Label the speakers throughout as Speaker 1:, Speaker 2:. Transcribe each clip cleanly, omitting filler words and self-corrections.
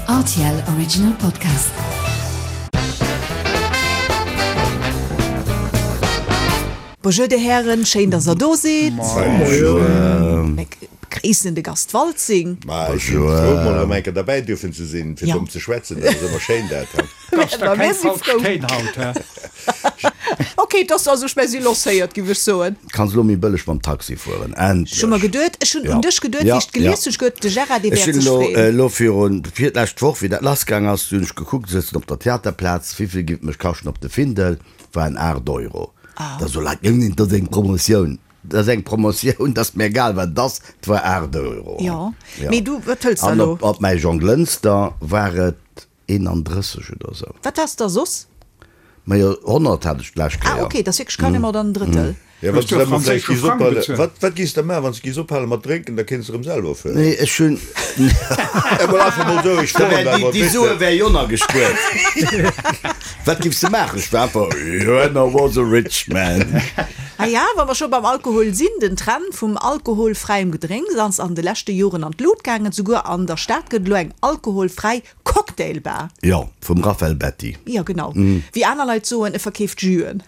Speaker 1: Rtl Original Podcast.
Speaker 2: Bonjour dir Hären, schéin dass der do sidd. Mir begréissen de Gast Waltzing.
Speaker 3: Ma ech sinn frou mol erëm eng Kéier derbäi dierfen ze sinn, fir domm ze schwätzen. Dat ass ëmmer schéin dat.
Speaker 4: Dass der keng falsch Téin haut, hä?
Speaker 2: Ok, et ass also, ech mä si lancéiert, giff ech soen.
Speaker 5: Kanns elo méi bëlleg mam Taxi fueren, endlech!
Speaker 2: Ech hu mer geduet, ech hunn un dech geduet, wéi ech et gelies hunn, ech geduet, de Gérard, dee
Speaker 5: Ech
Speaker 2: wäert
Speaker 5: hunn
Speaker 2: sech
Speaker 5: elo,
Speaker 2: freeën.
Speaker 5: elo virun, vir d'lescht Woch, wéi dat lassgaang ass, hunn ech gekuckt, sëtzen op der Theaterplaz, wéivill giff et mech kaschten op de Findel, waren 8 Euro. Da soe Leit, nee, dat ass eng Promotioun. Dat ass eng Promotioun, dat ass mir egal wat et ass, et war 8 Euro.
Speaker 2: Jo, mee du, wat hëls de
Speaker 5: An
Speaker 2: elo?
Speaker 5: op, op mäi Jonglënster war et 31 oder esou.
Speaker 2: Wat has de da soss?
Speaker 5: Majo, 100 hat ech d'lescht
Speaker 2: Ah,
Speaker 5: Kéier.
Speaker 2: ok, dat ass wierklech carrément dann en Drëttel.
Speaker 3: Jo, wann s de da mol vläicht giss ophalen, wat, wat giss de maachen, wann s de giss ophale mat drénken, da kéints de erëm selwer fueren.
Speaker 5: Nee, ech hunn.
Speaker 3: Emol einfach mol sou, ech
Speaker 5: Da
Speaker 3: froen
Speaker 5: wär
Speaker 3: da
Speaker 5: déi,
Speaker 3: emol,
Speaker 5: déi
Speaker 3: weess
Speaker 5: Sue
Speaker 3: de.
Speaker 5: wär jo nach gespuert. Wat giffs de maachen? Ech war einfach, When I was a rich man.
Speaker 2: Ah ja, wa mer scho beim Alkohol sinn, den Trend vum alkoholfräiem Gedrénks ass an de leschte Joren an d'Lut gaangen. Souguer an der Stad gëtt elo eng alkoholfräi Cocktailbar.
Speaker 5: Jo, vum Raphael Betti.
Speaker 2: Jo, genau. Wéi aner Leit soen, e verkeeft Jüen.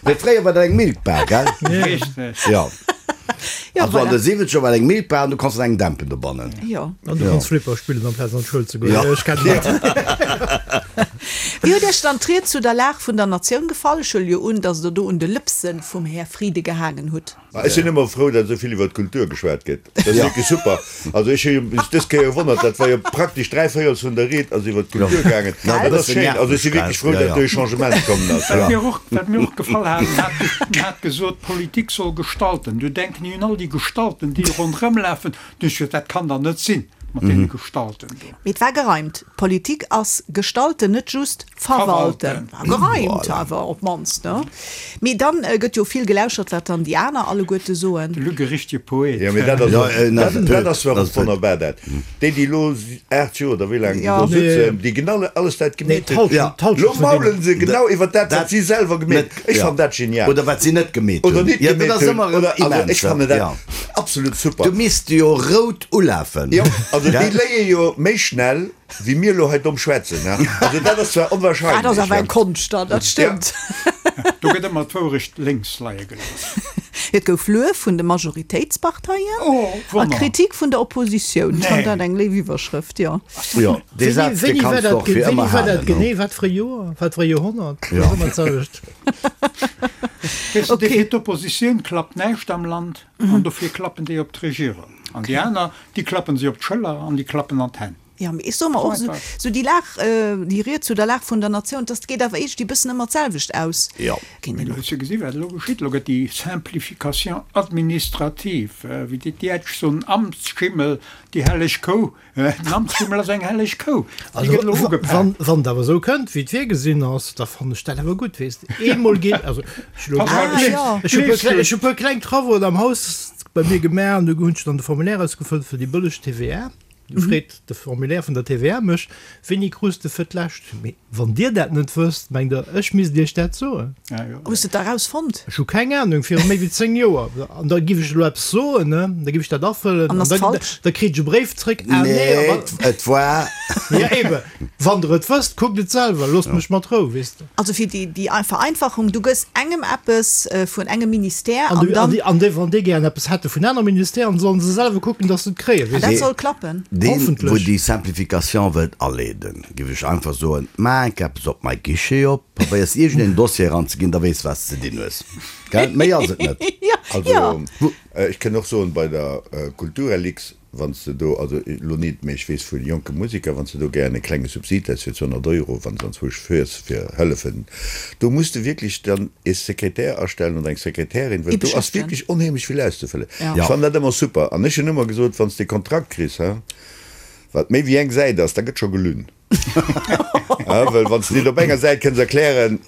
Speaker 5: Mee fréier war dat eng Milkbar, gell?
Speaker 4: Richteg.
Speaker 5: Jo.
Speaker 2: Jo,
Speaker 5: Also an
Speaker 2: voilà.
Speaker 5: de siwwenzeger war et eng Milkbar an du konns an engem Dämpen dobannen.
Speaker 2: Jo.
Speaker 6: An du konns Flipper spillen amplaz an d'Schoul ze goen.
Speaker 5: Jo.
Speaker 6: Ech kennen dat.
Speaker 2: Wéi huet Iech dann d'Ried zu der Lag vun der Natioun gefall? Ech huele jo un, datt Der do un de Lëpse vum Här Frieden gehaangen hutt.
Speaker 3: Ech sinn ëmmer frou, datt esou vill iwwer d'Kultur geschwat gëtt. Dat ass wierklech super. Also ech hu mech dës Kéier gewonnert, dat war jo praktesch dräivéierels vun der Ried ass iwwer d'Kultur gaangen. Dat ass schéin. Also ech si wierklech frou, datt do e Changement kommen ass.
Speaker 4: Wat mir och, wat mir och gefall hat, en hat, en hat gesot, Politik soll gestalten. Du denken ech un all déi Gestalten, déi ronderëmlafen. Du ech gesot, dat kann der net sinn mat deene Gestalten do.
Speaker 2: Mee et war gereimt. Politik ass gestalten, net just verwalten. War gereimt awer op d'mannst, ne? Mee dann gëtt jo vill gelauschert, wat dann déi aner alleguerte soen.
Speaker 4: De Luc e richtege Poet.
Speaker 3: Jo, mee dat ass och, dat ass zwar och wonnerbar, dat déi, déi elo 8 Joer oder wéi laang déi do sëtzen, déi genau alles dat gemeet hunn, elo maulen se genau iwwer dat, wat si selwer gemeet hunn. Ech fannen dat genial.
Speaker 5: Oder wat si net gemeet hunn.
Speaker 3: Oder net gemeet hunn. Oder, also ech fannen dat absolut super.
Speaker 5: Du misst jo rout ulafen.
Speaker 3: Jo, also déi léie jo méi schnell wéi mir elo hei domm schwätzen. Also dat ass zwar onwahrscheinlech.
Speaker 2: Dat ass awer eng Konscht dann, dat stëmmt.
Speaker 4: Do gëtt ëmmer d'Wourecht lénks leie gelooss.
Speaker 2: Et gouf Luef vun de Majoritéitsparteien a Kritik vun der Oppositioun. Ech fannen dat eng léif Iwwerschrëft, jo.
Speaker 5: Jo, dee Saz, dee
Speaker 6: Wéini war
Speaker 5: kanns de
Speaker 6: dat
Speaker 5: och fir
Speaker 6: wéini
Speaker 5: ëmmer
Speaker 6: war dat
Speaker 5: halen.
Speaker 6: genee? Wat fir e Joer? Wat fir e Joerhonnert? Dat ass ëmmer d'selwecht.
Speaker 4: Weess de, fir d'Oppositioun klappt näischt am Land an dofir klappen déi op d'Regierung. An déi aner, déi klappen si op d'Schëller an déi klappen an d'Hänn.
Speaker 2: Jo, mee ech soe mer och, esou déi Lag, déi Ried zu der Lag vun der Natioun, dass geet awer iergendwéi e bëssen ëmmer d'selwecht aus.
Speaker 5: Jo.
Speaker 2: Kéint een
Speaker 4: Mee du
Speaker 2: och.
Speaker 4: hues jo gesi wat elo geschitt. Elo gëtt déi Simplification administrative, wéi déi Däitsch soen, Amtsschimmel, déi helleg Kou, Den Amtsschimmel ass eng helleg Kou, déi gëtt elo ugepak.
Speaker 6: Wann et awer esou kënnt, wéi et virgesinn ass, da fannen ech dat awer gutt, weess de. Eemol geet, also ech hu elo, ech hu puer kleng Travauxen am Haus bei mir gemaach an do hunn ech dann de Formulaire ausgefëllt fir déi bëlleg TVA. Du freet de Formulaire vun der TVA mech, Wéini krus de fir d'lescht? Mee wann Dir dat net wësst, mengt Der, ech misst Iech dat soen?
Speaker 2: Hues de et da rausfonnt?
Speaker 6: Ech hu keng Anung, viru méi wéi 10 Joer. An da giff ech elo eppes soen, ne? Da giff ech dat afëllen
Speaker 2: An
Speaker 6: an
Speaker 2: ass
Speaker 6: da,
Speaker 2: falsch?
Speaker 6: da kritt ech e Bréif zréck, Ah nee,
Speaker 5: Nee,
Speaker 6: aber.
Speaker 5: et war.
Speaker 6: Ja eben, wann Der et wësst, kuckt et selwer, loosst mech mat Rou, weess de.
Speaker 2: Also fir déi, déi Vereinfachung, du gëss engem eppes vun engem Ministère
Speaker 6: An
Speaker 2: an
Speaker 6: de,
Speaker 2: dann.
Speaker 6: an déi, an déi, wann déi gären eppes hätte vun anere Ministèren, sollen se selwer kucken, dass se et kréien,
Speaker 2: An
Speaker 6: weess
Speaker 2: dat
Speaker 6: de.
Speaker 2: soll klappen.
Speaker 5: Deen, wou
Speaker 6: Hoffentlech.
Speaker 5: déi Simplification wëllt aleeden, giff ech einfach soen, maach eppes op mei Guichet op, probéiers iergendeen Dossier eranzeginn, da weess wat s de dinn hues. Gell? Méi ass et net.
Speaker 3: Also, ech kënn och soen, bei der Kulturellix, wann s de do, also elo nit, mee ech weess vu jonke Museker, wann s de do gären e klenge Subsid häss fir 200 Euro, wann s anzwousch fuers fir hëllefen, do muss de wierklech dann e Sekretär astellen oder eng Sekretärin, well do ass wierklech onheemlech vill auszefëllen. Ech fannen dat ëmmer super. An ech hunn ëmmer gesot, wann s de e Kontrakt kriss, he, wat méi wéi eng Säit ass, da gëtt scho gelunn. Well wann s de net op enger Säit kënns erklären,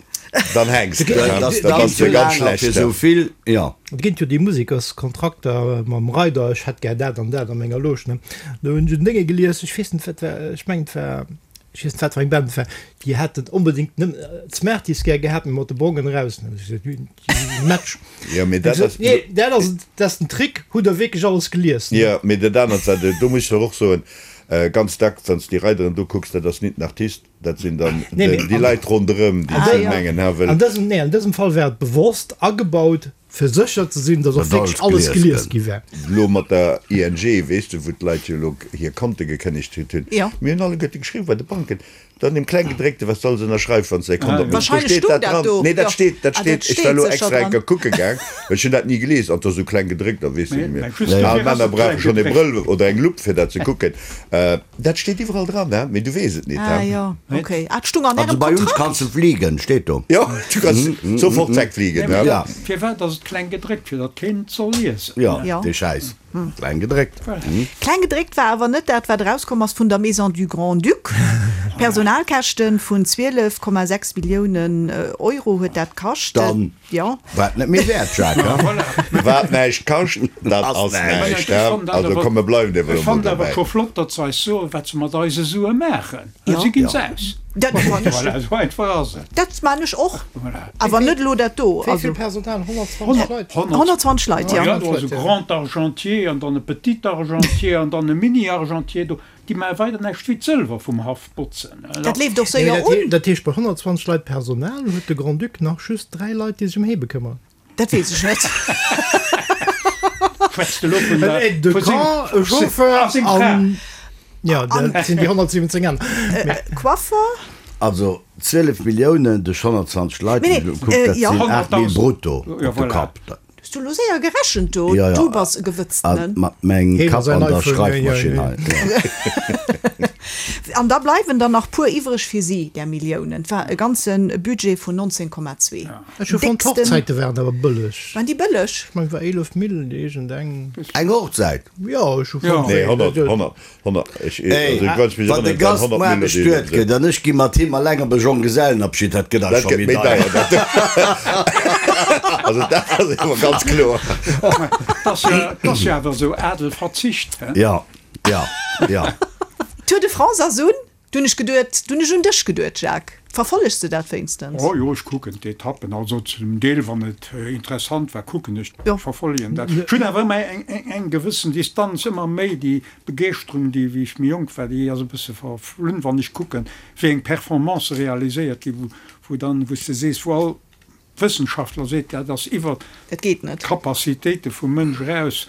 Speaker 3: dann hänks de. Da bass de ganz schlecht.
Speaker 5: Fir esou vill, jo.
Speaker 6: Et ginn jo déi Musekerskontrakter mam Reider, ech hätt gär dat an dat a menger Loge, ne. Do hunn ech en Dénge gelies, ech weess net wat war, ech mengen et war, ech weess net wat fir eng Band et war, déi haten onbedéngt nëmmen d'Smarties gär gehat, mee mat de Bongen eraus, ne. Ech gesot, Match.
Speaker 3: Jo, mee dat ass.
Speaker 6: Nee, dat ass, dat ass den Trick, hutt Der wierklech alles gelies, ne?
Speaker 3: Jo, mee dat anert war, do muss ech och soen. Ganz dack, wann s de déi Reideren do kucks, dat ass nit den Artist, dat sinn dann déi Leit ronderëm, déi ze mengen, ha wëll.
Speaker 6: An dësem, nee, an dësem Fall war et bewosst agebaut, fir sécher ze sinn, datt och wierklech alles gelies gi war.
Speaker 3: Elo mat der ING, weess de, wou d'Leit jo elo hir Konte gekënnegt kritt hunn. Mir hunn alleguerte geschriwwen bei de Banken, Dann deem Klenggedréckte, wat s de alles ënnerschreifs, wann s de däi Kont opméchs, do steet dat dran. Nee, dat steet, dat steet, ech war elo extra eng Kéier kucke gaang, well ech hunn dat ni gelies, an 't ass esou kleng gedréckt, da weess de net méi. Al Männer brauche schonn e Brëll oder eng Lupp, fir dat ze kucken. Dat steet iwwerall dran, he, mee du weess et nit, he.
Speaker 2: Ah jo, okay. Ah, et stung an
Speaker 5: Also
Speaker 2: ärem
Speaker 5: bei uns
Speaker 2: Kontrakt?
Speaker 5: kannst du fliegen, steet do.
Speaker 3: Jo, du kanns sofort wegfliegen, he.
Speaker 5: Ja.
Speaker 4: Firwat ass et kleng gedréckt? Fir datt keen et soll liesen.
Speaker 5: Jo, dee Schäiss. Kleng gedréckt.
Speaker 2: Kleng gedréckt war awer net dat, wat erauskomm ass vun der Maison du Grand-Duc. Personalkäschte vun 12,6 Milliounen Euro huet dat kascht.
Speaker 5: Dann
Speaker 2: Jo.
Speaker 5: war et net méi wäert, Jacques, he?
Speaker 3: Wat näischt kascht, dat ass näischt, he? Also komm, mir bleiwen ewell
Speaker 4: Ech
Speaker 3: emol
Speaker 4: fannen awer
Speaker 3: dobäi.
Speaker 4: scho flott, datt se eis soen, wat se mat eise Sue maachen.
Speaker 2: Jo.
Speaker 4: Si ginn se aus.
Speaker 2: Dat fannen ech.
Speaker 4: Voilà, esou einfach ass et.
Speaker 2: Dat maan ech och.
Speaker 4: Voilà.
Speaker 2: Awer net elo dat do.
Speaker 6: Wéi vill Personal? 120 Leit?
Speaker 2: 120 Leit, jo.
Speaker 4: Jo, do ass e Grand Argentier an dann e Petit Argentier an dann e Mini Argentier. Do, déi maache weider näischt wéi d'Sëlwer vum Haff botzen.
Speaker 2: Dat leeft och séier un.
Speaker 6: Dat heescht, bei 120 Leit Personal huet de Grand-Duc nach just 3 Leit, déi sech ëm hee bekëmmeren.
Speaker 2: Dat weess ech net.
Speaker 4: Schwätzt elo vun der,
Speaker 6: En Aide de
Speaker 4: vu seng,
Speaker 6: camp, e Chauffeur
Speaker 4: a seng Fra.
Speaker 6: an, jo, dat sinn déi 117 aner. Mee.
Speaker 2: Coiffer?
Speaker 5: Also 12 Milliounen duerch 120 Leit,
Speaker 2: Nee,
Speaker 5: ech hu gekuckt, dat
Speaker 2: jo.
Speaker 5: sinn 8 Mille brutto
Speaker 4: Jo,
Speaker 5: op de
Speaker 4: voilà.
Speaker 5: Kapp.
Speaker 2: Hues du elo séier gerechent do?
Speaker 5: Jo, jo.
Speaker 2: Du bass e Gewëtztenen.
Speaker 5: Mat mengem
Speaker 6: Heen a
Speaker 5: Kapp
Speaker 6: säin
Speaker 5: an der
Speaker 6: iPhone, jo, jo,
Speaker 5: Schreifmaschinn
Speaker 6: jo.
Speaker 5: hei.
Speaker 2: An da bleiwen der nach puer iwwreg fir si, där Milliounen. Et war e ganze Budget vun 19,2.
Speaker 6: Ech hu fonnt, d'Hochzäite waren awer bëlleg.
Speaker 2: Waren déi bëlleg?
Speaker 6: Ech mengen, et war 11 Mille iergend eng.
Speaker 5: Eng Hochzäit?
Speaker 6: Jo, ech hu fonnt.
Speaker 3: Nee, 100, 100, 100, ech,
Speaker 5: Ey,
Speaker 3: also ich wann ech mech
Speaker 5: wann de
Speaker 3: erënneren, et waren
Speaker 5: Gast
Speaker 3: 100
Speaker 5: muer
Speaker 3: Mille
Speaker 5: bestuet
Speaker 3: oder
Speaker 5: gëtt an ech gi mat him alleng op e Jonggesellenabschied, dat gëtt awer
Speaker 3: Dat
Speaker 5: scho
Speaker 3: gëtt
Speaker 5: méi
Speaker 3: méi
Speaker 5: deier.
Speaker 3: deier, dat. Also dat ass awer ganz kloer.
Speaker 4: Dat ass jo, dat ass jo awer esou Adel Verzicht, he?
Speaker 5: Ja, ja, ja.
Speaker 2: Tour de France ass un. Du hunn ech geduet, du hunn ech un dech geduet, Jacques. Verfollegs de dat wéinstens?
Speaker 4: Oh jo, ech kucken d'Etappen, also zum Deel, wann et interessant war, kucken ech, verfollegen dat. Ech hunn awer ëmmer eng gewëssen Distanz, ëmmer méi déi Begeeschterung, déi wéi ech méi jonk war, déi ass e bësse verflunn, wann ech kucken, wéi eng Performancë realiséiert ginn, wou dann, wou s de sees, wou all Wëssenschaftler seet, dat ass iwwer d'Capacitéite vum Mënsch eraus,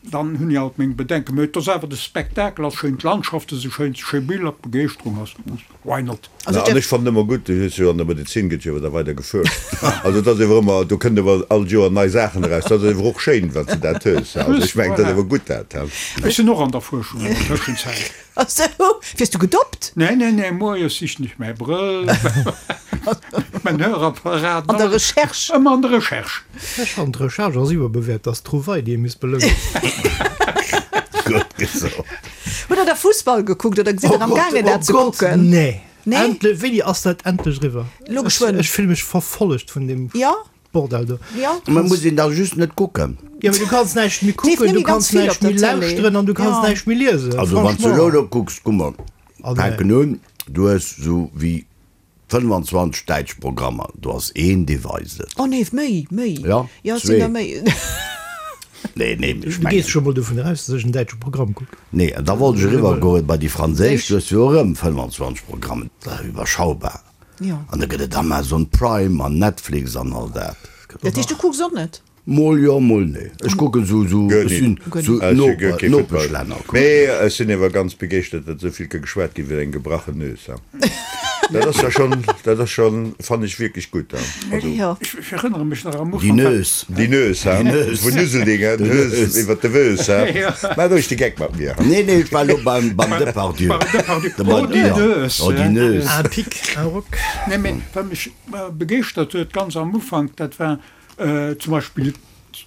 Speaker 4: dann hunn ech alt meng Bedenken. Mä et ass awer, de Spektakel ass schéin, d'Landschafte si schéin, et si schéi Biller, d'Begeeschterung ass grouss, why not?
Speaker 3: Na, an ech fannen ëmmer gutt, du hues jo an der Medezin gëtt jo awer da weider gefuerscht. Also et ass ewer ëmmer, do kënnen ewer all Joer nei Saachen eraus. Dat ass ewer och schéin, wann s de dat hues. Also ech mengen, dat ass ewer gutt dat.
Speaker 4: Ech sinn och an der Fuerschung an der Tëschenzäit.
Speaker 2: Ach sou, wiers du gedoppt?
Speaker 4: Nee, nee, nee, moies sichen ech mäi Brëll, mäin Hörapparat.
Speaker 2: An der Recherche.
Speaker 4: Ëmmer an der Recherche.
Speaker 6: Ech fannen d'Recherche ass iwwerbewäert, dat ass d'Trouvaille déi ee misst belounen.
Speaker 5: Gutt gesot.
Speaker 2: Hutt der da Fussball gekuckt oder sidd der am gaangen dat ze kucken?
Speaker 6: Nee.
Speaker 2: Nee?
Speaker 6: Endlech, wéini ass dat endlech eriwwer?
Speaker 2: Lo geschwënn.
Speaker 6: Ech fille mech verfollegt vun deem.
Speaker 2: Jo.
Speaker 6: Bordell do.
Speaker 2: Jo.
Speaker 5: Mä muss een da just net kucken.
Speaker 6: Jo, mee du kanns näischt méi
Speaker 2: Leeft
Speaker 6: kucken,
Speaker 2: net
Speaker 6: du
Speaker 2: méi ganz
Speaker 6: kanns
Speaker 2: vill op
Speaker 6: näischt
Speaker 2: der
Speaker 6: méi
Speaker 2: Tëlee.
Speaker 6: lauschteren an du kanns
Speaker 2: Jo.
Speaker 6: näischt méi liesen.
Speaker 5: Also wann s du
Speaker 6: Franchement.
Speaker 5: elo do kucks, guck mol,
Speaker 6: Oh nee.
Speaker 5: fänken un, du hues sou wéi 25 däitsch Programmer, do ass een, dee weist et.
Speaker 2: Oh nee, méi, méi.
Speaker 5: Ja,
Speaker 2: Jo, et sinn
Speaker 5: zwee.
Speaker 2: der méi.
Speaker 5: Nee, nee, ech
Speaker 6: Du gees
Speaker 5: mengen.
Speaker 6: scho mol dovun eraus, dass ech en däitsche Programm kucken.
Speaker 5: Nee, an da wollt ech eriwwer goen bei déi franséisch, du hues jo erëm 25 Programmen, dat ass iwwerschaubar.
Speaker 2: Jo.
Speaker 5: An da gëtt et Amazon Prime an Netflix an all dat.
Speaker 2: Dat heescht, du kucks och net?
Speaker 5: Mol jo, mol nee. Ech kucken sou, sou, ech sinn sou Noper, Nopeschlänner kucken.
Speaker 3: Mee ech sinn ewer ganz begeeschtert, datt esou vill ka geschwat ginn iwwer eng gebrachen Nues. Dat ass ja schonn, dat ass schonn, fannen ech wierklech gutt. Also.
Speaker 2: Jo.
Speaker 4: Ech erënnere mech nach am
Speaker 5: Déi
Speaker 4: Ufank.
Speaker 5: Nues.
Speaker 3: Déi Nues, ha? Vun Useldingen, d'Nues iwwer de Wös, ha? Maach roueg de Geck mat mir.
Speaker 5: Nee, nee, ech war elo beim, beim Depardieu.
Speaker 4: Beim Depardieu. Oh, déi Nues.
Speaker 5: Oh, déi Nues.
Speaker 6: Un pic, un roc.
Speaker 4: Nee, mee wat mech begeeschtert huet ganz am Ufank, dat war zum Beispill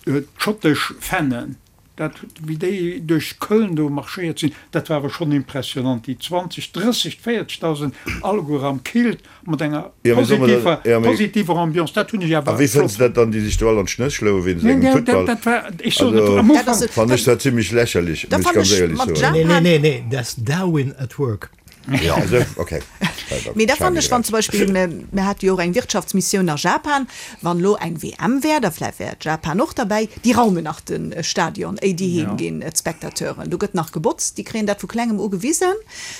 Speaker 4: d'schottesch Fannen. Dat, wéi déi duerch Köln do marschéiert sinn, dat war awer schonn impressionant, déi 20, 30, 40.000, alleguer am Kilt, mat enger positiver, positiver Ambiance, dat hunn ech
Speaker 3: A
Speaker 4: awer
Speaker 3: wéi fënns
Speaker 4: flott.
Speaker 3: de dat dann, déi sech do all an d'Schnëss schloe wéinst
Speaker 4: Nee,
Speaker 3: engem
Speaker 4: nee,
Speaker 3: Futtball?
Speaker 4: dat war, ech soen et,
Speaker 3: Also,
Speaker 4: am Ufank.
Speaker 3: fann ech dat zimlech lächerlech,
Speaker 2: Da
Speaker 3: muss ech
Speaker 2: fann
Speaker 3: ganz
Speaker 2: ech
Speaker 3: éierlech
Speaker 2: mat
Speaker 3: soen.
Speaker 6: Nee,
Speaker 2: Japan.
Speaker 6: nee, nee, nee, that's Darwin at work.
Speaker 3: Jo. Also, okay.
Speaker 2: Mee da fannen ech, wann zum Beispill, mir hate jo och eng Wirtschaftsmissioun a Japan, wann elo eng WM wär, da vläicht wär Japan och derbäi, déi raumen nach de Stadion, éi déi heem ginn, d'Spectateuren. Do gëtt nach gebotzt, déi kréien dat vu klengem u gewisen,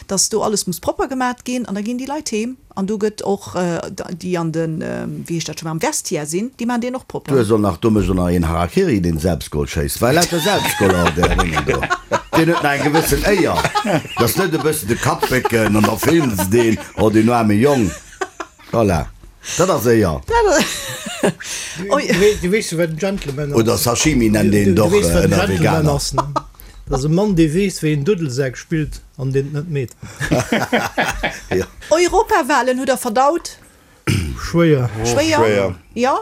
Speaker 2: datt do alles muss propper gemat ginn an da ginn déi Leit heem. An do gëtt och, déi an de, wéi heescht dat scho, am Vestiaire sinn, déi maachen deen och propper.
Speaker 5: Du hues och nach, do mécht och nach een Harakiri, deen Selbstgol schéisst. Well lauter Selbstgoler an där Déngen do. Deen huet nach eng gewëssen Éier. Dat ass net e bëssen de Kapp bécken an da filmen se deen, oh deen aarme Jong. Voilà, dat ass Éier.
Speaker 6: Du weess jo wat en Gentleman ass.
Speaker 5: Oder Sashimi nennt een et och ënner Veganer.
Speaker 6: Dat ass e Mann, dee weess wéi een Duddelsak spillt. An deen et net meet.
Speaker 2: Europawahlen hutt der verdaut?
Speaker 6: Schwéier.
Speaker 2: Schwéier, jo.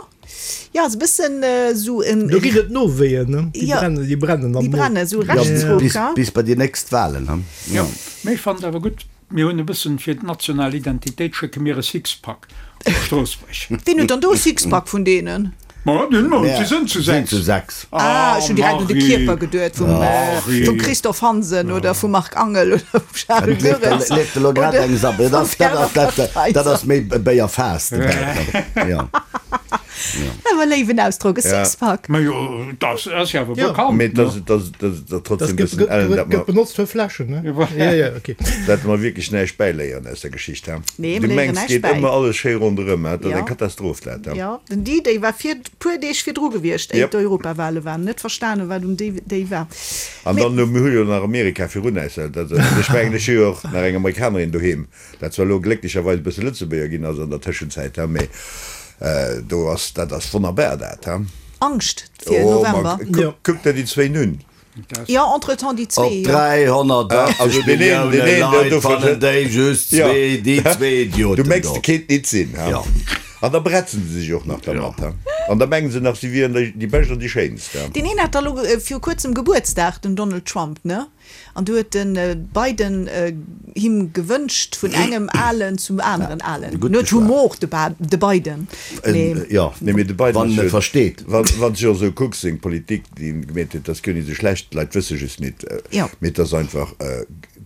Speaker 2: Jo, ass e bëssen esou en.
Speaker 6: Do ginn et Nowéien, ne? Déi brennen, déi brennen am
Speaker 2: Mo. Déi brennen, esou Rechtsruck,
Speaker 5: ha? Bis bei déi nächst Wahlen, ha?
Speaker 4: Jo, mee ech fannen et awer gutt, mir hunn e bëssen fir d'national Identitéit schécke mir e Sixpack op Stroossbuerg.
Speaker 2: Ween huet dann do e Sixpack vun deenen?
Speaker 4: Ma den Mond, si sënn zu 6.
Speaker 5: Sinn zu 6.
Speaker 2: Ah, ech hunn direkt un de Kierper geduet vum Christophe Hansen oder vum Marc Angel oder vum Charel Goerens.
Speaker 5: Leeft elo grad eng Sabbel. Dat ass méi Béierfaass, de Bäcker. Jo.
Speaker 2: Awer léiwen Ausdrock, e Sixpack.
Speaker 4: Ma jo, dat ass jo awer bekannt.
Speaker 3: Mee dat ass trotzdem e bëssen ellen, dat
Speaker 6: mer. Gëtt benotzt fir Fläschen, ne? Jo, jo, ok.
Speaker 3: Dat mer wierklech näischt bäiléieren aus der Geschicht, he?
Speaker 2: Nee,
Speaker 3: Du
Speaker 2: mir léieren
Speaker 3: mengs,
Speaker 2: näischt
Speaker 3: geet
Speaker 2: bäi.
Speaker 3: ëmmer alles schéi ronderëm, he? Dat ass
Speaker 2: Jo.
Speaker 3: eng Katastroph, dat, he?
Speaker 2: Jo, den D-Day war vir, puer Deeg virdru gewiescht, éier
Speaker 3: Yep.
Speaker 2: d'Europawale waren. Net verstanen, wat um D-Day war.
Speaker 3: An
Speaker 2: Mee.
Speaker 3: dann, mir hu jo nach Amerika virun äis, dat, dat, ech mengen, ech hu jo och nach eng Amerikanerin doheem, dat zwar elo glécklecherweis e bësse Lëtzebuerger ginn ass an der Tëschenzäit, he, mee do ass, dat ass wonnerbar, dat, he?
Speaker 2: Angscht fir
Speaker 3: Oh, ma
Speaker 2: November.
Speaker 3: kuck, kuck der déi zwéin un!
Speaker 2: Jo, entretemps déi
Speaker 5: Op
Speaker 2: zwee, jo.
Speaker 5: 380 Millioune Leit fannen déi just zwee, déi zwee
Speaker 3: Du
Speaker 5: Idioten
Speaker 3: mengs,
Speaker 5: do.
Speaker 3: de kéint nit sinn, ha?
Speaker 5: Jo.
Speaker 3: An da bretzen se sech och nach dermat, ha? An da mengen se nach, si wieren déi Bescht an déi Schéinst, ha?
Speaker 2: Deen een hat da lo viru kuerzem Gebuertsdag, den Donald Trump, ne? An du huet de Biden him gewënscht vun engem Alen zum aneren Alen.
Speaker 5: Gutt
Speaker 2: En huet
Speaker 5: geschwat.
Speaker 2: Humor, de Ba, de Biden. Mee.
Speaker 5: Jo,
Speaker 3: Nee, mee de Biden
Speaker 5: wann
Speaker 3: ass
Speaker 5: en
Speaker 3: jo,
Speaker 5: e versteet.
Speaker 3: wann, wann s de jo esou kucks, seng Politik, déi en gemeet huet, dat ass guer nit esou schlecht, d'Leit wësse just nit,
Speaker 2: Jo.
Speaker 3: mee et ass einfach,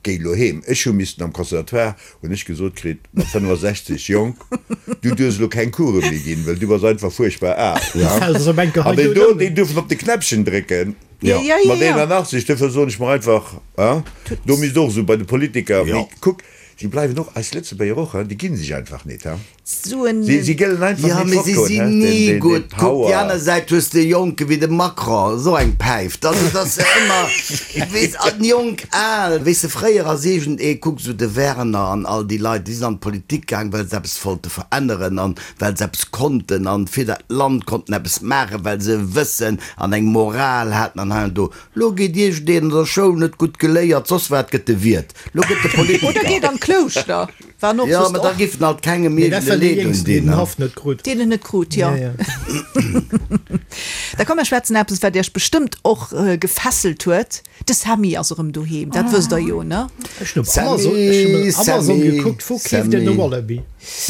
Speaker 3: Géi elo heem. Ech hu missten am Conservatoire, hunn ech gesot kritt, mat 65, Jong, du duerfs elo keng Course méi ginn, well du bass einfach fuerchtbar al. An déi do, déi duerfen op de Knäppchen drécken.
Speaker 2: Ja, ja, ja,
Speaker 3: Mat
Speaker 2: ja.
Speaker 3: 81, duerfir soen ech mer einfach, hein, do misst och esou bei de Politiker, mee kuck, si bleiwen och, eis Lëtzebuerger och, hein, déi ginn sech einfach nit, hein.
Speaker 2: Suen.
Speaker 3: Si, si gëllen einfach
Speaker 5: Ja,
Speaker 3: nit
Speaker 5: mee si
Speaker 3: fortgoen,
Speaker 5: sinn
Speaker 3: hein,
Speaker 5: ni
Speaker 3: den, den, den
Speaker 5: gutt. Kuck, déi
Speaker 3: Power.
Speaker 5: aner Säit hues de Jonke wéi de Macron, esou eng Päif. Also, et ass ëmmer, weess, an jonk, al. Weess de, fréier ass iergendee, kuck esou de Werner an all déi Leit, déi sinn an d'Politik gaang, well se eppes wollte veränneren an well se eppes konnten an fir dat Land konnten eppes maachen, well se e Wëssen an eng Moral haten an hei an do. Lo geet iergendeen an der Schoul net gutt geléiert, soss wat, gëtt e Wiert, lo gëtt e Politiker.
Speaker 2: Oder geet an d'Klouschter, war och
Speaker 5: Jo,
Speaker 2: soss
Speaker 5: mä da
Speaker 2: och.
Speaker 5: giff en alt kengem
Speaker 6: Mee dat
Speaker 5: iergend e
Speaker 6: war dee
Speaker 5: Leed
Speaker 6: Jéngsten, deen
Speaker 5: undinn,
Speaker 6: den
Speaker 5: ne?
Speaker 6: Haff net krut.
Speaker 2: Deen en net krut, jo.
Speaker 6: Ja, ja.
Speaker 2: Da komm mer schwätzen eppes, wat Iech bestëmmt och gefesselt huet. De Sammy ass erëm doheem, dat wësst der jo, ne?
Speaker 6: Ech hunn op Amazon, ech hunn op Amazon
Speaker 5: Sammy,
Speaker 6: gekuckt, wou keeft een e
Speaker 5: Sammy.
Speaker 6: Wallaby?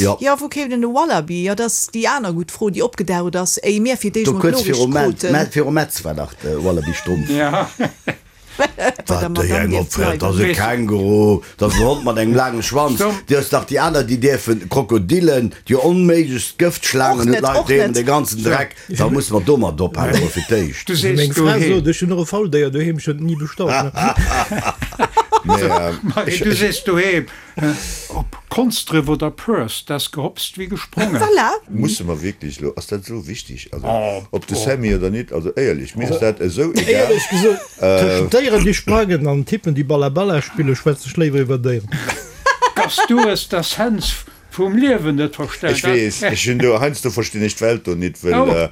Speaker 5: Jo.
Speaker 2: Jo, wou keeft een e Wallaby? Jo, dat ass déi aner gutt Fro, déi opgedaucht ass, éi mir fir d'éischt
Speaker 5: Do
Speaker 2: mol
Speaker 5: kuerz
Speaker 2: d'Noriicht
Speaker 5: viru Mä,
Speaker 2: kruten.
Speaker 5: Mä viru Metz war dach de Wallaby-Strumpf.
Speaker 4: Ja.
Speaker 2: Bei der
Speaker 5: Wat déi
Speaker 2: Madame
Speaker 5: eng
Speaker 2: dierft
Speaker 5: opfält, dat ass e
Speaker 2: bleiwen.
Speaker 5: Känguru, dat ass en Hond mat engem laange Schwanz.
Speaker 4: Stom.
Speaker 5: Déi ass dach déi aner, déi dierfen Krokodillen, déi onméiglechst
Speaker 2: Och
Speaker 5: Gëftschlaangen, hunn
Speaker 2: net,
Speaker 5: d'Leit
Speaker 2: och
Speaker 5: doheem,
Speaker 2: net.
Speaker 5: dee ganzen Dreck. Da musse mer domat ophalen, mol fir d'éischt.
Speaker 4: Du sees
Speaker 6: Meng Fra
Speaker 4: doheem.
Speaker 6: sot, ech hunn och e Fauldéier doheem, ech hunn et ni bestallt.
Speaker 4: Marie, du sees doheem. Ob Konsdref oder Pearse, dat ass gehopst wéi gesprongen.
Speaker 2: Voilà!
Speaker 3: Musse mer wierklech elo, ass dat esou wichteg, also ob de Sammy oder nit, also éierlech, mir ass dat esou egal.
Speaker 6: Éierlech gesot, tëschent Déieren déi sprangen an Typen déi Balla Balla spillen, schwätze ech léiwer iwwer Déieren.
Speaker 4: Dass du es d'Essenz Vum Liewen net verstanen.
Speaker 3: Ech weess, ech hunn do, heiansdo verstinn ech d'Welt do nit, wëll.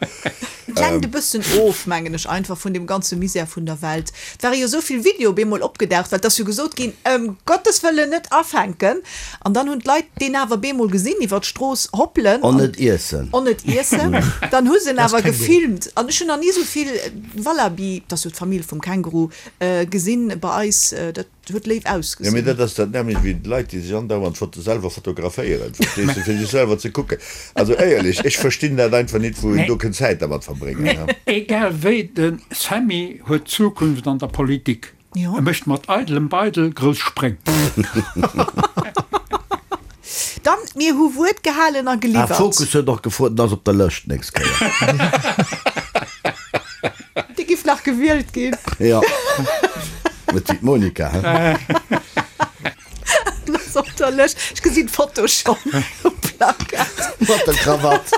Speaker 2: Et lenkt e bëssen of, mengen ech, einfach vun deem ganze Misär vun der Welt. Et ware jo esou vill Videoe bemol opgedaucht, well et ass jo gesot ginn, ëm Gottes Wëllen net afänken. An dann hunn d'Leit deen awer bemol gesinn iwwer d'Strooss hoppelen.
Speaker 5: On net iessen.
Speaker 2: On net iessen. Dann hu se en awer gefilmt. An ech hunn nach ni esou vill Wallaby, dat ass jo d'Famill vum Känguru, gesinn bei eis. Dat. Huet léif
Speaker 3: Jo, mee
Speaker 2: ausgesinn.
Speaker 3: dat ass dat nämmlecht wéi d'Leit, déi sech andauernd foto selwer fotograféieren, verstees de, fir sech selwer ze kucken. Also éierlech, ech verstinn dat einfach nit, wou een do kënnt Zäit dermat verbréngen.
Speaker 4: Mee egal wéi, de Sammy huet d'Zukunft an der Politik.
Speaker 2: Jo.
Speaker 4: E mécht mat eidelem Beidel grouss Spréng.
Speaker 2: Mir hu Wuert gehalen a
Speaker 5: Ah,
Speaker 2: geliwwert.
Speaker 5: Focus huet och gefrot, en ass op der Lëscht d'nächst Kéier.
Speaker 2: Dee giff nach gewielt ginn.
Speaker 5: Jo. Net wéi d'Monica, he?
Speaker 2: En ass op der Lëscht. Ech gesinn d'Foto schonn um Plakat.
Speaker 5: Mat der Krawatt.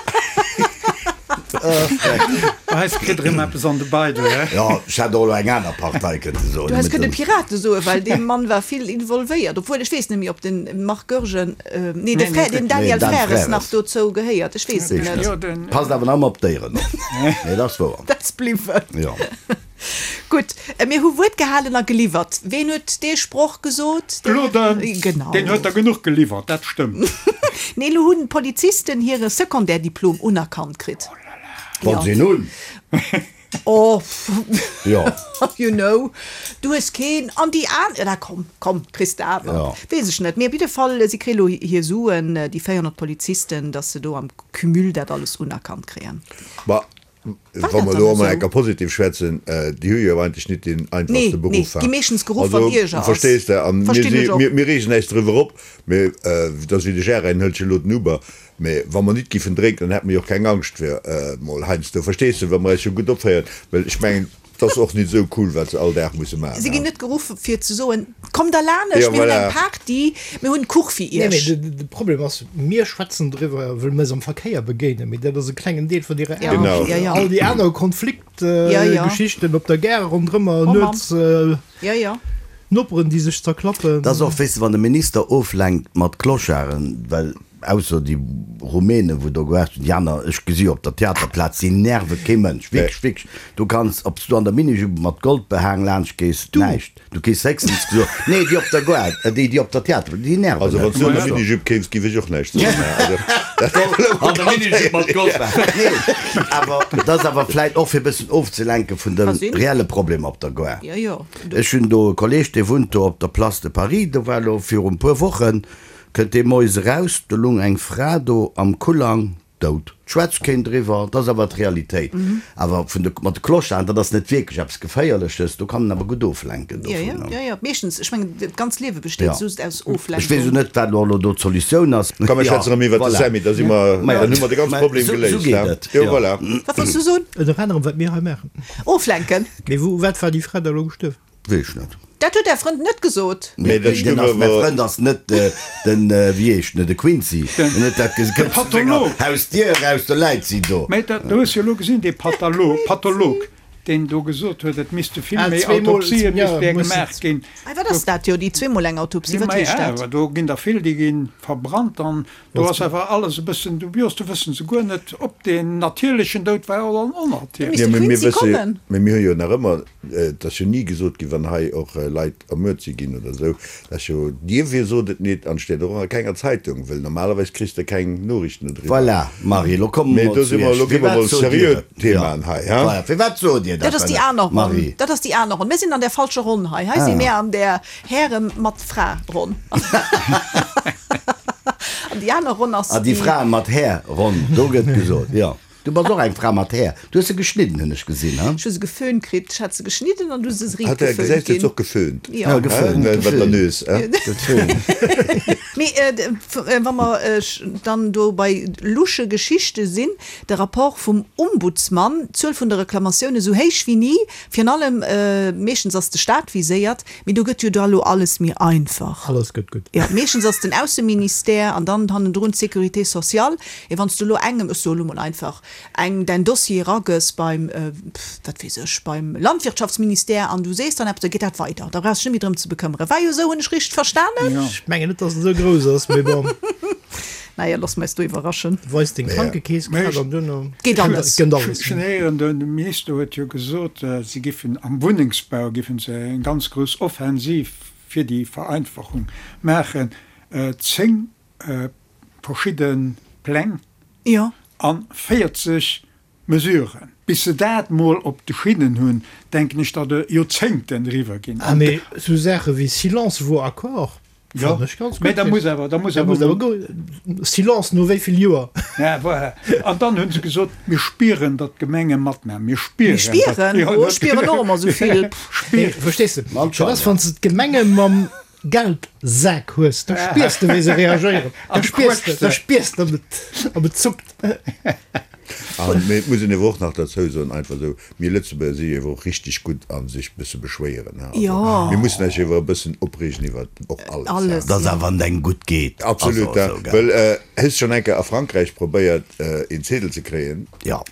Speaker 4: Bei eis kritt erëm eppes an de Beidel, he?
Speaker 5: Jo, ech hätt och elo eng aner Partei kënnte soen.
Speaker 2: Du häss kënne Pirate soen, well dee Mann war vill involvéiert. Obwuel, ech weess net méi, ob de Marc Goergen, nee, de Frère, den Daniel Frères nach dozou gehéiert. Ech weess et net.
Speaker 5: Passt awer nach ëmmer op d'Déieren op. Nee, dat ass wouer.
Speaker 2: Dat ass bliwwen.
Speaker 5: Jo.
Speaker 2: Gutt, mir hu Wuert gehalen a geliwwert. Ween huet dee Sproch gesot?
Speaker 4: Claude,
Speaker 2: Genau.
Speaker 4: Deen huet der genuch geliwwert, dat stëmmt.
Speaker 2: Nee, elo hunn d'Polizisten hire Secondaire-Diplom unerkannt kritt.
Speaker 5: Wann se een hunn.
Speaker 2: Oh,
Speaker 5: Jo.
Speaker 2: you know, du hues keen an déi aner, na komm, komm, kriss de awer.
Speaker 5: Jo.
Speaker 2: Weess ech net. Mee op jidde Fall, si kréie elo hir Suen, déi 400 Polizisten, datt se do am Cumul dat alles unerkannt kréien.
Speaker 3: Ma Wa mer elo emol enker positiv schwätzen, déi hu jo eigentlech nit deen einfachste Beruff. Also, verstees de, a mir reegen äis driwwer op, mee et ass wéi de Gérard, en hëlt jo elo den Uber, mee wa mer nit giffen drénken, dann hätte mer jo och keng Angscht fir emol heiansdo, verstees de, wa mer äis jo gutt opféieren, well ech mengen, et ass och nit esou cool, wat se all Dag musse maachen.
Speaker 2: Si ginn net geruff fir ze soen, Kommt der lanescht, mir hunn eng Party, mir hunn Kuch fir
Speaker 6: Nee,
Speaker 2: iech.
Speaker 6: mee de Problem ass, mir schwätzen driwwer, wëll mir eis am Verkéier begéinen, mee dat ass e klengen Deel vun hirer Aarbecht.
Speaker 2: Genau.
Speaker 6: All déi aner Konfliktgeschichten op der Gare ronderëmmer, nuets Noperen, déi sech zerklappen.
Speaker 5: Dat ass och, weess de, wann de Minister oflenkt mat Clocharden, well ausser déi Rumänen, wou do gewaart hunn, déi aner, ech gesi jo op der Theaterplaz, déi nerve kee Mënsch, wierklech, wierklech. Du kanns, ob s du an der Minijupe mat Goldbehang laanscht gees, näischt. Du kriss héchstens gesot, nee, déi op der Gare, déi, déi op der Theater, déi nerven
Speaker 3: Also, wann s du an der Minijupe kéims, géif ech och näischt soen.
Speaker 5: An der Minijupe mat Goldbehang, nee, awer dat ass awer vläit och fir e bëssen ofzelenke vun de reelle Problemer op der Gare. Ech hunn do e Kolleeg, dee wunnt do op der Place de Paris, do war elo viru puer Wochen, kënnt dee moies eraus, do lung eng Fra do am Kullang, dout. Schwätzt keen driwwer, dat ass awer d'Realitéit. Awer vun de, mat de Clocharden, dat ass net wierklech eppes Geféierleches, do kann en awer gutt oflenken
Speaker 2: Jo, jo,
Speaker 5: dovun.
Speaker 2: jo, jo, meeschtens, ech mengen, d'ganz Liewe besteet
Speaker 5: Ja.
Speaker 2: just aus
Speaker 5: Ech weess
Speaker 2: Oflenkung.
Speaker 5: elo net, wat elo do d'Solutioun ass.
Speaker 3: Komm, mir
Speaker 5: Ja,
Speaker 3: schwätzen erëm iwwert de
Speaker 5: voilà.
Speaker 3: Sammy, da si mer,
Speaker 5: Maja,
Speaker 3: dann hu mer de ganze
Speaker 5: mä
Speaker 3: Problem
Speaker 5: sou, sou
Speaker 3: geléist,
Speaker 5: geet
Speaker 3: he?
Speaker 5: et,
Speaker 3: Jo,
Speaker 5: jo.
Speaker 3: voilà.
Speaker 2: Wat wollts du soen?
Speaker 6: Ënner anerem, wat mir hei maachen.
Speaker 2: Oflenken.
Speaker 6: Mee wou, wat war déi Fra da elo gestuerwen?
Speaker 5: Weess ech net.
Speaker 2: Dat huet Är Frënd net gesot.
Speaker 3: Mee dat
Speaker 5: Den
Speaker 3: stoung
Speaker 5: ass, mäi
Speaker 3: awer.
Speaker 5: Frënd ass net den, wéi heescht en, de Quincy. En huet dat ges,
Speaker 4: De
Speaker 5: kënnt zu senger
Speaker 4: Patholog.
Speaker 5: Hausdier eraus, do läit si do.
Speaker 4: Mee dat, du hues jo elo gesinn, dee Patalo, Patholog, deen do gesot huet, et misste vill
Speaker 6: Ah,
Speaker 4: méi
Speaker 6: zweemol,
Speaker 4: Autopsien
Speaker 6: ja,
Speaker 4: misst där
Speaker 6: mussen.
Speaker 4: gemaach ginn.
Speaker 2: Ei, wat ass dat jo, déi zweemol eng Autopsie, wat
Speaker 4: Maja,
Speaker 2: heescht dat?
Speaker 4: awer do ginn der vill, déi gi verbrannt an do ass awer alles e bëssen dubios. Do wësse se guer net, ob deen natierlechen Doud war oder en
Speaker 2: Do
Speaker 4: onnatierlechen.
Speaker 2: misst
Speaker 3: Jo,
Speaker 2: de
Speaker 3: mee mir
Speaker 2: Quincy
Speaker 3: wësse,
Speaker 2: kommen.
Speaker 3: mee mir hu jo nach ëmmer Et ass jo ni gesot ginn, wann hei och Leit ermuert si ginn oder esou, dat ass jo, dierfir sot et nit an steet och a kenger Zeitung, wëll normalerweis kriss de keng Noriichten dodriwwer.
Speaker 5: Voilà, Marie, elo komme
Speaker 3: Mee
Speaker 5: mer
Speaker 3: do
Speaker 5: zu
Speaker 3: si mer,
Speaker 5: Iech.
Speaker 3: elo gi mer
Speaker 5: Firwat
Speaker 3: mol
Speaker 5: sot Dir
Speaker 3: seriö
Speaker 5: et?
Speaker 3: Themaen hei, ha?
Speaker 5: Voilà, firwat sot Dir
Speaker 2: Dat
Speaker 5: dat
Speaker 2: ass déi
Speaker 5: dann,
Speaker 2: aner Ronn.
Speaker 5: Marie?
Speaker 2: Dat ass déi aner Ronn. Mir sinn an där falscher Ronn hei. Hei si mir an där Häre mat Fra-Ronn. An déi aner Ronn ass
Speaker 5: Ah, déi
Speaker 2: déi.
Speaker 5: Frae mat Här-Ronn, do gëtt gesot, jo. Du bass och eng Fra mat Här. Du hues se geschnidden, hunn ech gesinn, he?
Speaker 2: Ech hu se geföhnt kritt. Ech hat se geschnidden an du se riit
Speaker 3: Hat der
Speaker 2: geföhnt
Speaker 3: gesäis
Speaker 2: ginn.
Speaker 3: huet se och geföhnt.
Speaker 2: Jo.
Speaker 5: Ja, geföhnt,
Speaker 3: Wat der
Speaker 5: geföhnt.
Speaker 3: Nös, he?
Speaker 5: Geföhnt.
Speaker 2: Mee wa mer dann do bei lusche Geschichte sinn, de Rapport vum Ombudsmann, d'Zuel vun de Reklamatioune sou héich wéi ni, virun allem, meeschtens ass de Staat viséiert, Mee do gëtt jo da lo alles méi einfach.
Speaker 6: Alles gëtt gutt.
Speaker 2: Jo, meeschtens ass den Ausseministère an dann hannendrun d'Sécurité sociale. Mee wann s du elo engem, ech soe lo mol einfach, eng däin Dossier eragëss beim, wat weess ech, beim Landwirtschaftsministère an du sees dann eppes, da geet dat weider. Da brauchs dech net méi drëm ze bekëmmeren. War jo esou, hunn ech richteg verstanen?
Speaker 6: Ech mengen net, dass en esou grouss ass, mee bon.
Speaker 2: Naja, loosse mer eis do iwwerraschen.
Speaker 6: Weis deng Krankekeesskaart an duerno
Speaker 2: Geet alles.
Speaker 6: gënnt alles.
Speaker 4: Ech hunn héieren, de Minister huet jo gesot, si giffen am Wunnengsbau giffen se eng ganz grouss Offensiv fir déi Vereinfachung maachen. 10 verschidde Pläng a 40 Mesuren. Bis se dat mol op de Schinnen hunn, denken ech, datt e Joerzéngten eriwwer ginn.
Speaker 6: Ah, mee esou Saache wéi Silence vaut accord fannen ech ganz gutt.
Speaker 4: Mee da muss awer, da muss awer
Speaker 6: mol. Silence no wéi vill Joer?
Speaker 4: Ja, voilà. An dann hu se gesot, mir spieren, datt d'Gemenge matmaachen. Mir spieren.
Speaker 2: Mir spieren? Oh, ech spieren och ëmmer esou vill.
Speaker 4: Spieren.
Speaker 6: Verstees de? Dat ass, wann s de d'Gemenge mam. Geldsak hues, da spiers de wéi se reagéieren. Da spiers de, da spiers de, ob et, ob et zuckt.
Speaker 3: An, mee et muss een ewer och nach derzou soen, einfach esou, mir Lëtzebuerger si ewer och richteg gutt a sech bësse beschwéieren, he. Also, mir mussen eis ewer e bëssen opreegen iwwer och alles, he.
Speaker 5: Alles, Dass awer wann et engem gutt geet,
Speaker 3: ass och esou, gell. Well, hues schonn eng Kéier a Frankräich probéiert, een Zedel ze kréien?
Speaker 5: Jo.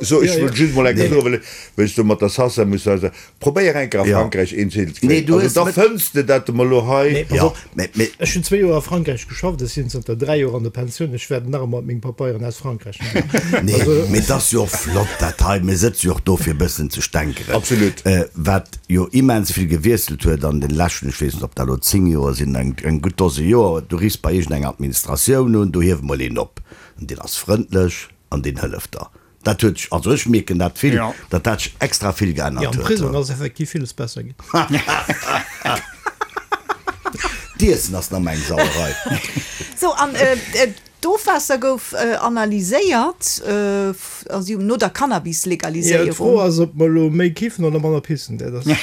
Speaker 3: So, ech wëll just mol eng Kéier soen, well ech do mat der Sasa muss sagen, Probéier eng Kéier a Frankräich een Zedel ze kréien. Also da fënns de dat emol elo hei.
Speaker 6: Nee, pass op, ech hunn zwéi Joer a Frankräich geschafft, ech sinn zanter 3 Joer an der Pensioun, ech wäerten nach ëmmer meng Papeieren aus Frankräich maachen.
Speaker 5: Nee, mee et ass jo och flott dat hei, mir sëtze jo och do fir e bëssen ze stänkeren.
Speaker 3: Absolut.
Speaker 5: Wat jo immens vill gewiesselt huet an den leschten, ech weess net ob dat elo 10 Joer sinn, eng gutt Dose Joer, du riffs bei iergendeng Administratioun un, do hieft emol een op an deen ass frëndlech an deen hëlleft der. Dat huet sech, also ech mierken dat vill, datt dat sech extra vill geännert
Speaker 6: huet. Jo, am Prisong ass effektiv villes besser ginn.
Speaker 5: D'Iessen ass nach meng Sauerei.
Speaker 2: Sou, an d'Ofwaasser gouf analyséiert, also no der Cannabis-Legaliséierung.
Speaker 6: Jo, d'Fro ass, ob mer elo méi kiffen oder manner pissen. Dat ass.
Speaker 2: Jo.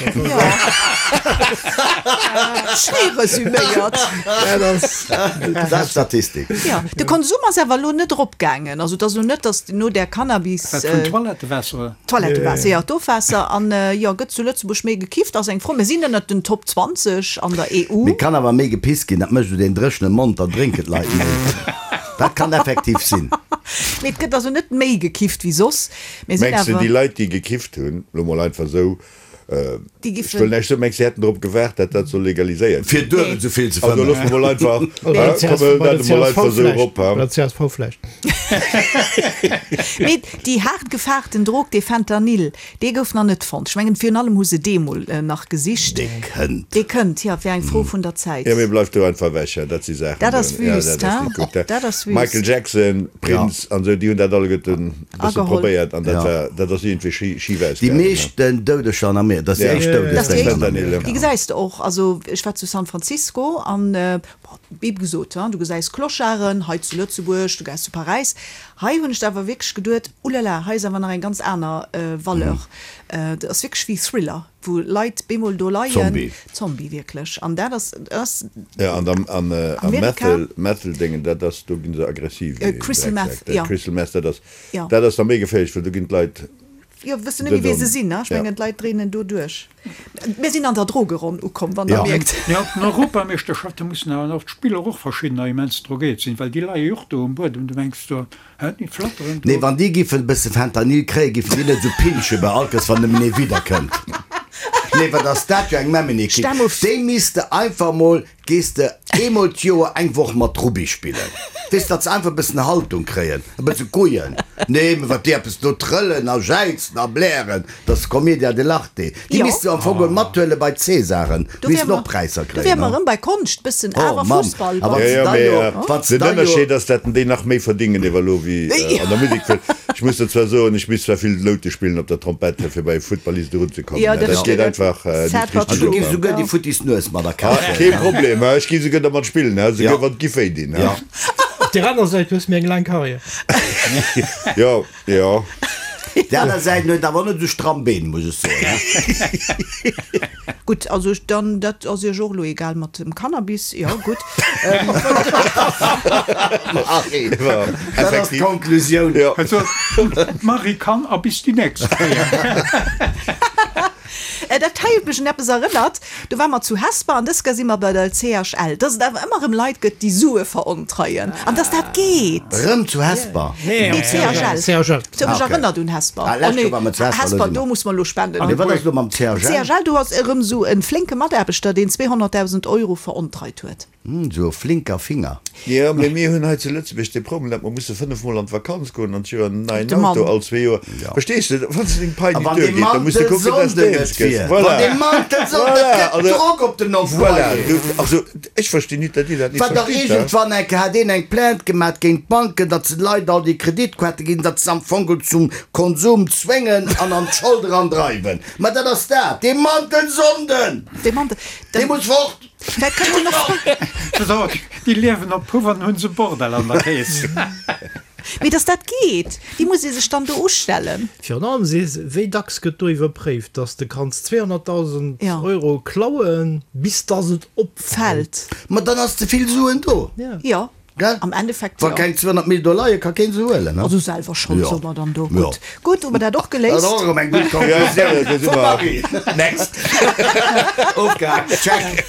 Speaker 2: Schéi resüméiert.
Speaker 5: Dat ass. Dat ass Statistik.
Speaker 2: Jo, de Konsum ass awer elo net eropgaangen. Also et ass elo net, datt no där Cannabis.
Speaker 4: Wat vun Toilettewaasser?
Speaker 2: Toilettewaasser, jo, d'Ofwaasser. An jo, gëtt zu Lëtzebuerg méi gekifft, ass eng Fro. Mir sinn ënnert den Top 20 an der EU.
Speaker 5: Mee kann awer méi gepisst ginn, dat mécht esou deen dréchene Mond, dann drénken d'Leit méi. Dat kann effektiv sinn.
Speaker 2: Mee et gëtt also net méi gekifft wéi soss.
Speaker 3: Mir sinn Mengs de, déi awer. Leit, déi gekifft hunn, elo mol einfach esou,
Speaker 2: Déi
Speaker 3: Ech wëll näischt soen, mengs de, si hätten drop gewaart, dat dat soll legaliséiert
Speaker 5: Fir
Speaker 3: ginn?
Speaker 5: duebel esou vill ze
Speaker 3: Also
Speaker 5: fëmmen.
Speaker 3: loosse mer mol einfach,
Speaker 6: Bei der
Speaker 3: hä, komm,
Speaker 6: bei
Speaker 3: dat
Speaker 6: der
Speaker 3: emol
Speaker 6: csv
Speaker 3: einfach esou
Speaker 6: vläicht.
Speaker 3: erop, hä?
Speaker 6: Bei der csv vläicht.
Speaker 2: Mee déi haart gefaarten Drog, dee Fentanyl, dee gouf nach net fonnt. Ech mengen, virun allem hu se dee mol nach gesicht.
Speaker 5: Dee kënnt.
Speaker 2: Dee kënnt, jo, et wär eng Fro vun der Zäit.
Speaker 3: Jo, mee bleift do einfach ewech, hä, dat si Saachen,
Speaker 2: Dat ass
Speaker 3: jo,
Speaker 2: wüst,
Speaker 3: dat ass
Speaker 2: hä?
Speaker 3: net gutt, hä?
Speaker 2: Dat ass wüst.
Speaker 3: Michael Jackson, Prince an esou, déi hunn dat alleguerten e bësse
Speaker 2: Ageholl.
Speaker 3: probéiert an dat
Speaker 5: Ja.
Speaker 3: war, dat ass iergendwéi schi, schif
Speaker 5: Déi
Speaker 3: ausgaangen, hä?
Speaker 5: meeschten Doudeger an Amerika, dat ass déi
Speaker 3: Ja.
Speaker 5: éischt
Speaker 2: Dat ass déi
Speaker 5: Doudesdéng
Speaker 2: éischt.
Speaker 5: an Amerika.
Speaker 2: Déi gesäis de och. Also ech war zu San Francisco an, bon, wéi gesot, du gesäis Clocharden hei zu Lëtzebuerg, du gesäis zu Paräis. Hei hunn ech da awer wierklech geduet, Ulala, hei ass awer nach eng ganz aner Valeur. Dat ass wierklech wéi Thriller, wou Leit bemol do leien.
Speaker 5: Zombie.
Speaker 2: Zombie, wierklech. An dat ass, dat ass
Speaker 3: Ja, an am, an, am
Speaker 2: Amerika.
Speaker 3: Methel, Methel-Déngen, dat ass, do ginn se aggressiv wéi
Speaker 2: Crystal
Speaker 3: Drecksäck.
Speaker 2: Meth, ja.
Speaker 3: Crystal Meth, dat ass,
Speaker 2: Ja.
Speaker 3: dat ass da méi geféierlech, well do ginn d'Leit
Speaker 2: Jo, wëssen net méi, wee se sinn, ne? Ech
Speaker 3: Ja.
Speaker 2: mengen, d'Leit dréinen do duerch. Mir sinn an der Drogeronn ukomm, wann Der
Speaker 5: Ja.
Speaker 2: mierkt.
Speaker 4: Mee op den Europameeschterschafte mussen awer och d'Spiller och verschiddener immens drogéiert sinn, well déi leie jo och do um Buedem, du mengs do, hä, déi flatteren
Speaker 5: Nee,
Speaker 4: do.
Speaker 5: wann déi giffen e bësse Fentanyl kréien, giffen déi net esou pinschen bei all Kéiers, wann nëmmen ee widderkënnt. Nee, wat ass dat jo eng Memmenekipp.
Speaker 2: Stell mol v.
Speaker 5: Déi misste einfach mol Gees de eemol d'Joer eng Woch mat Rugby spillen? Weess, datt se einfach e bëssen Haltung kréien, e bësse Couillen. Nee, mä wat déi eppes do trëllen a jäizen a blären, dat ass Commedia dell'arte. Déi
Speaker 2: Jo.
Speaker 5: misst de am Fong geholl mathuele bei d'Césaren.
Speaker 2: Do
Speaker 5: Missten
Speaker 2: wäre
Speaker 5: och Präisser
Speaker 2: do wäre
Speaker 5: kréien,
Speaker 2: mer
Speaker 5: ne?
Speaker 2: erëm bei Konscht, bëssen
Speaker 5: Oh
Speaker 2: awer
Speaker 5: Mamm,
Speaker 2: Fussball.
Speaker 5: a wann
Speaker 3: Jo,
Speaker 5: se
Speaker 3: jo,
Speaker 5: da
Speaker 3: mee
Speaker 5: jo, wann se
Speaker 3: den
Speaker 5: da jo.
Speaker 3: Ënnerscheed ass, dat déi nach méi verdingen ewell elo wéi an der Musek. Well ech muss der zwar soen, ech misst zwar vill Noute spillen op der Trompett, fir bei e Futtballist erunzekommen.
Speaker 2: Jo, dat
Speaker 3: Dat geet
Speaker 2: steet.
Speaker 3: einfach net
Speaker 2: Sad but
Speaker 3: richteg
Speaker 5: An du
Speaker 2: true.
Speaker 5: giffs
Speaker 3: op.
Speaker 5: esouguer déi futtis Nues mat a Kaf
Speaker 3: Ah, kee
Speaker 5: huelen.
Speaker 3: Problem, ech gi souguer dermat spillen, souguer
Speaker 5: Ja.
Speaker 3: wann et giff wéi dinn.
Speaker 5: Ja.
Speaker 6: Op der aner Säit hues méi eng laang Karriär.
Speaker 3: Jo, jo.
Speaker 5: Déi aner Säit huet awer net esou stramm Been, muss ech soen.
Speaker 2: Gutt, also dann, dat ass Iech och elo egal mat dem Cannabis, jo gutt.
Speaker 5: Marie, dat ass d'Konklusioun.
Speaker 4: Also, d'Marie kann a bis déi nächst Kéier.
Speaker 2: Dat hei huet mech un eppes erënnert, do ware mer zu Hesper an dës Kéier si mer bei der CHL, dass et awer ëmmer erëm Leit gëtt, déi Sue verontreien an dass dat geet.
Speaker 5: Rëm zu Hesper?
Speaker 2: Nee, CHL.
Speaker 6: CHL.
Speaker 2: Se huet mech erënnert un Hesper.
Speaker 5: Ah, lescht Joer ware mer zu Hesper,
Speaker 2: Hesper, do muss mer elo spenden.
Speaker 5: Mee wat ass elo mam CHL?
Speaker 2: CHL, do ass erëm esou e flénke Mataarbechter, deen 200.000 Euro verontreit huet.
Speaker 5: Hm, sou e flinker Finger.
Speaker 3: Jo, mee mir hunn hei zu Lëtzebuerg dee Problem, datt mer musse 5 mol an d'Vakanz goen an d'Joer, en neien
Speaker 2: De Mann.
Speaker 3: Auto all zwee Joer.
Speaker 5: Ja.
Speaker 3: Verstees de, wann s de deng Pai
Speaker 5: A
Speaker 3: nit
Speaker 5: wann dee
Speaker 3: duergeet, da muss de kucken, datt s
Speaker 5: Mantelsonnden
Speaker 3: de
Speaker 5: net
Speaker 3: eens gëss.
Speaker 5: wier,
Speaker 3: Voilà.
Speaker 5: wann dee Mantelsonnden,
Speaker 3: Voilà,
Speaker 5: dat gëtt
Speaker 3: also,
Speaker 5: Drock op den
Speaker 3: voilà,
Speaker 5: Employé.
Speaker 3: du, also, ech verstinn nit, datt Dir dat nit
Speaker 5: Wat dach
Speaker 3: verstitt, he.
Speaker 5: iergendwann eng Kéier hat een eng Plainte gemat géint d'Banken, datt se de Leit all déi Kreditkaarte ginn, datt se am Fong zum Konsum zwéngen an an d'Schold erandreiwen. Ma dat ass dat, dee Mantelsonden,
Speaker 2: Dee Mantel,
Speaker 5: dee muss fort!
Speaker 2: Vläit kënnt en och.
Speaker 4: So, déi liewen op Puff an hunn se Bordell an der Kees.
Speaker 2: Mee dass dat geet, wéi muss ee sech dann do ustellen?
Speaker 6: Virun allem, wéi dacks gëtt do iwwerpréift, dass de kanns 200.000 Euro klauen, bis dass et opfält?
Speaker 5: Ma dann ass ze vill Suen do.
Speaker 2: Jo.
Speaker 5: Gell?
Speaker 2: Am Endeffekt
Speaker 5: Wa
Speaker 2: jo.
Speaker 5: keng 200 Mil do leien, ka keen se huelen, ne?
Speaker 2: Also selwer Schold,
Speaker 5: Jo.
Speaker 2: soe mer dann do.
Speaker 5: Jo.
Speaker 2: Gutt, gutt, hu mer dat och
Speaker 5: Dat
Speaker 2: geléist.
Speaker 5: ass och erëm eng gutt Konklusioun vum Marie. Next. Ofgehaakt. Check.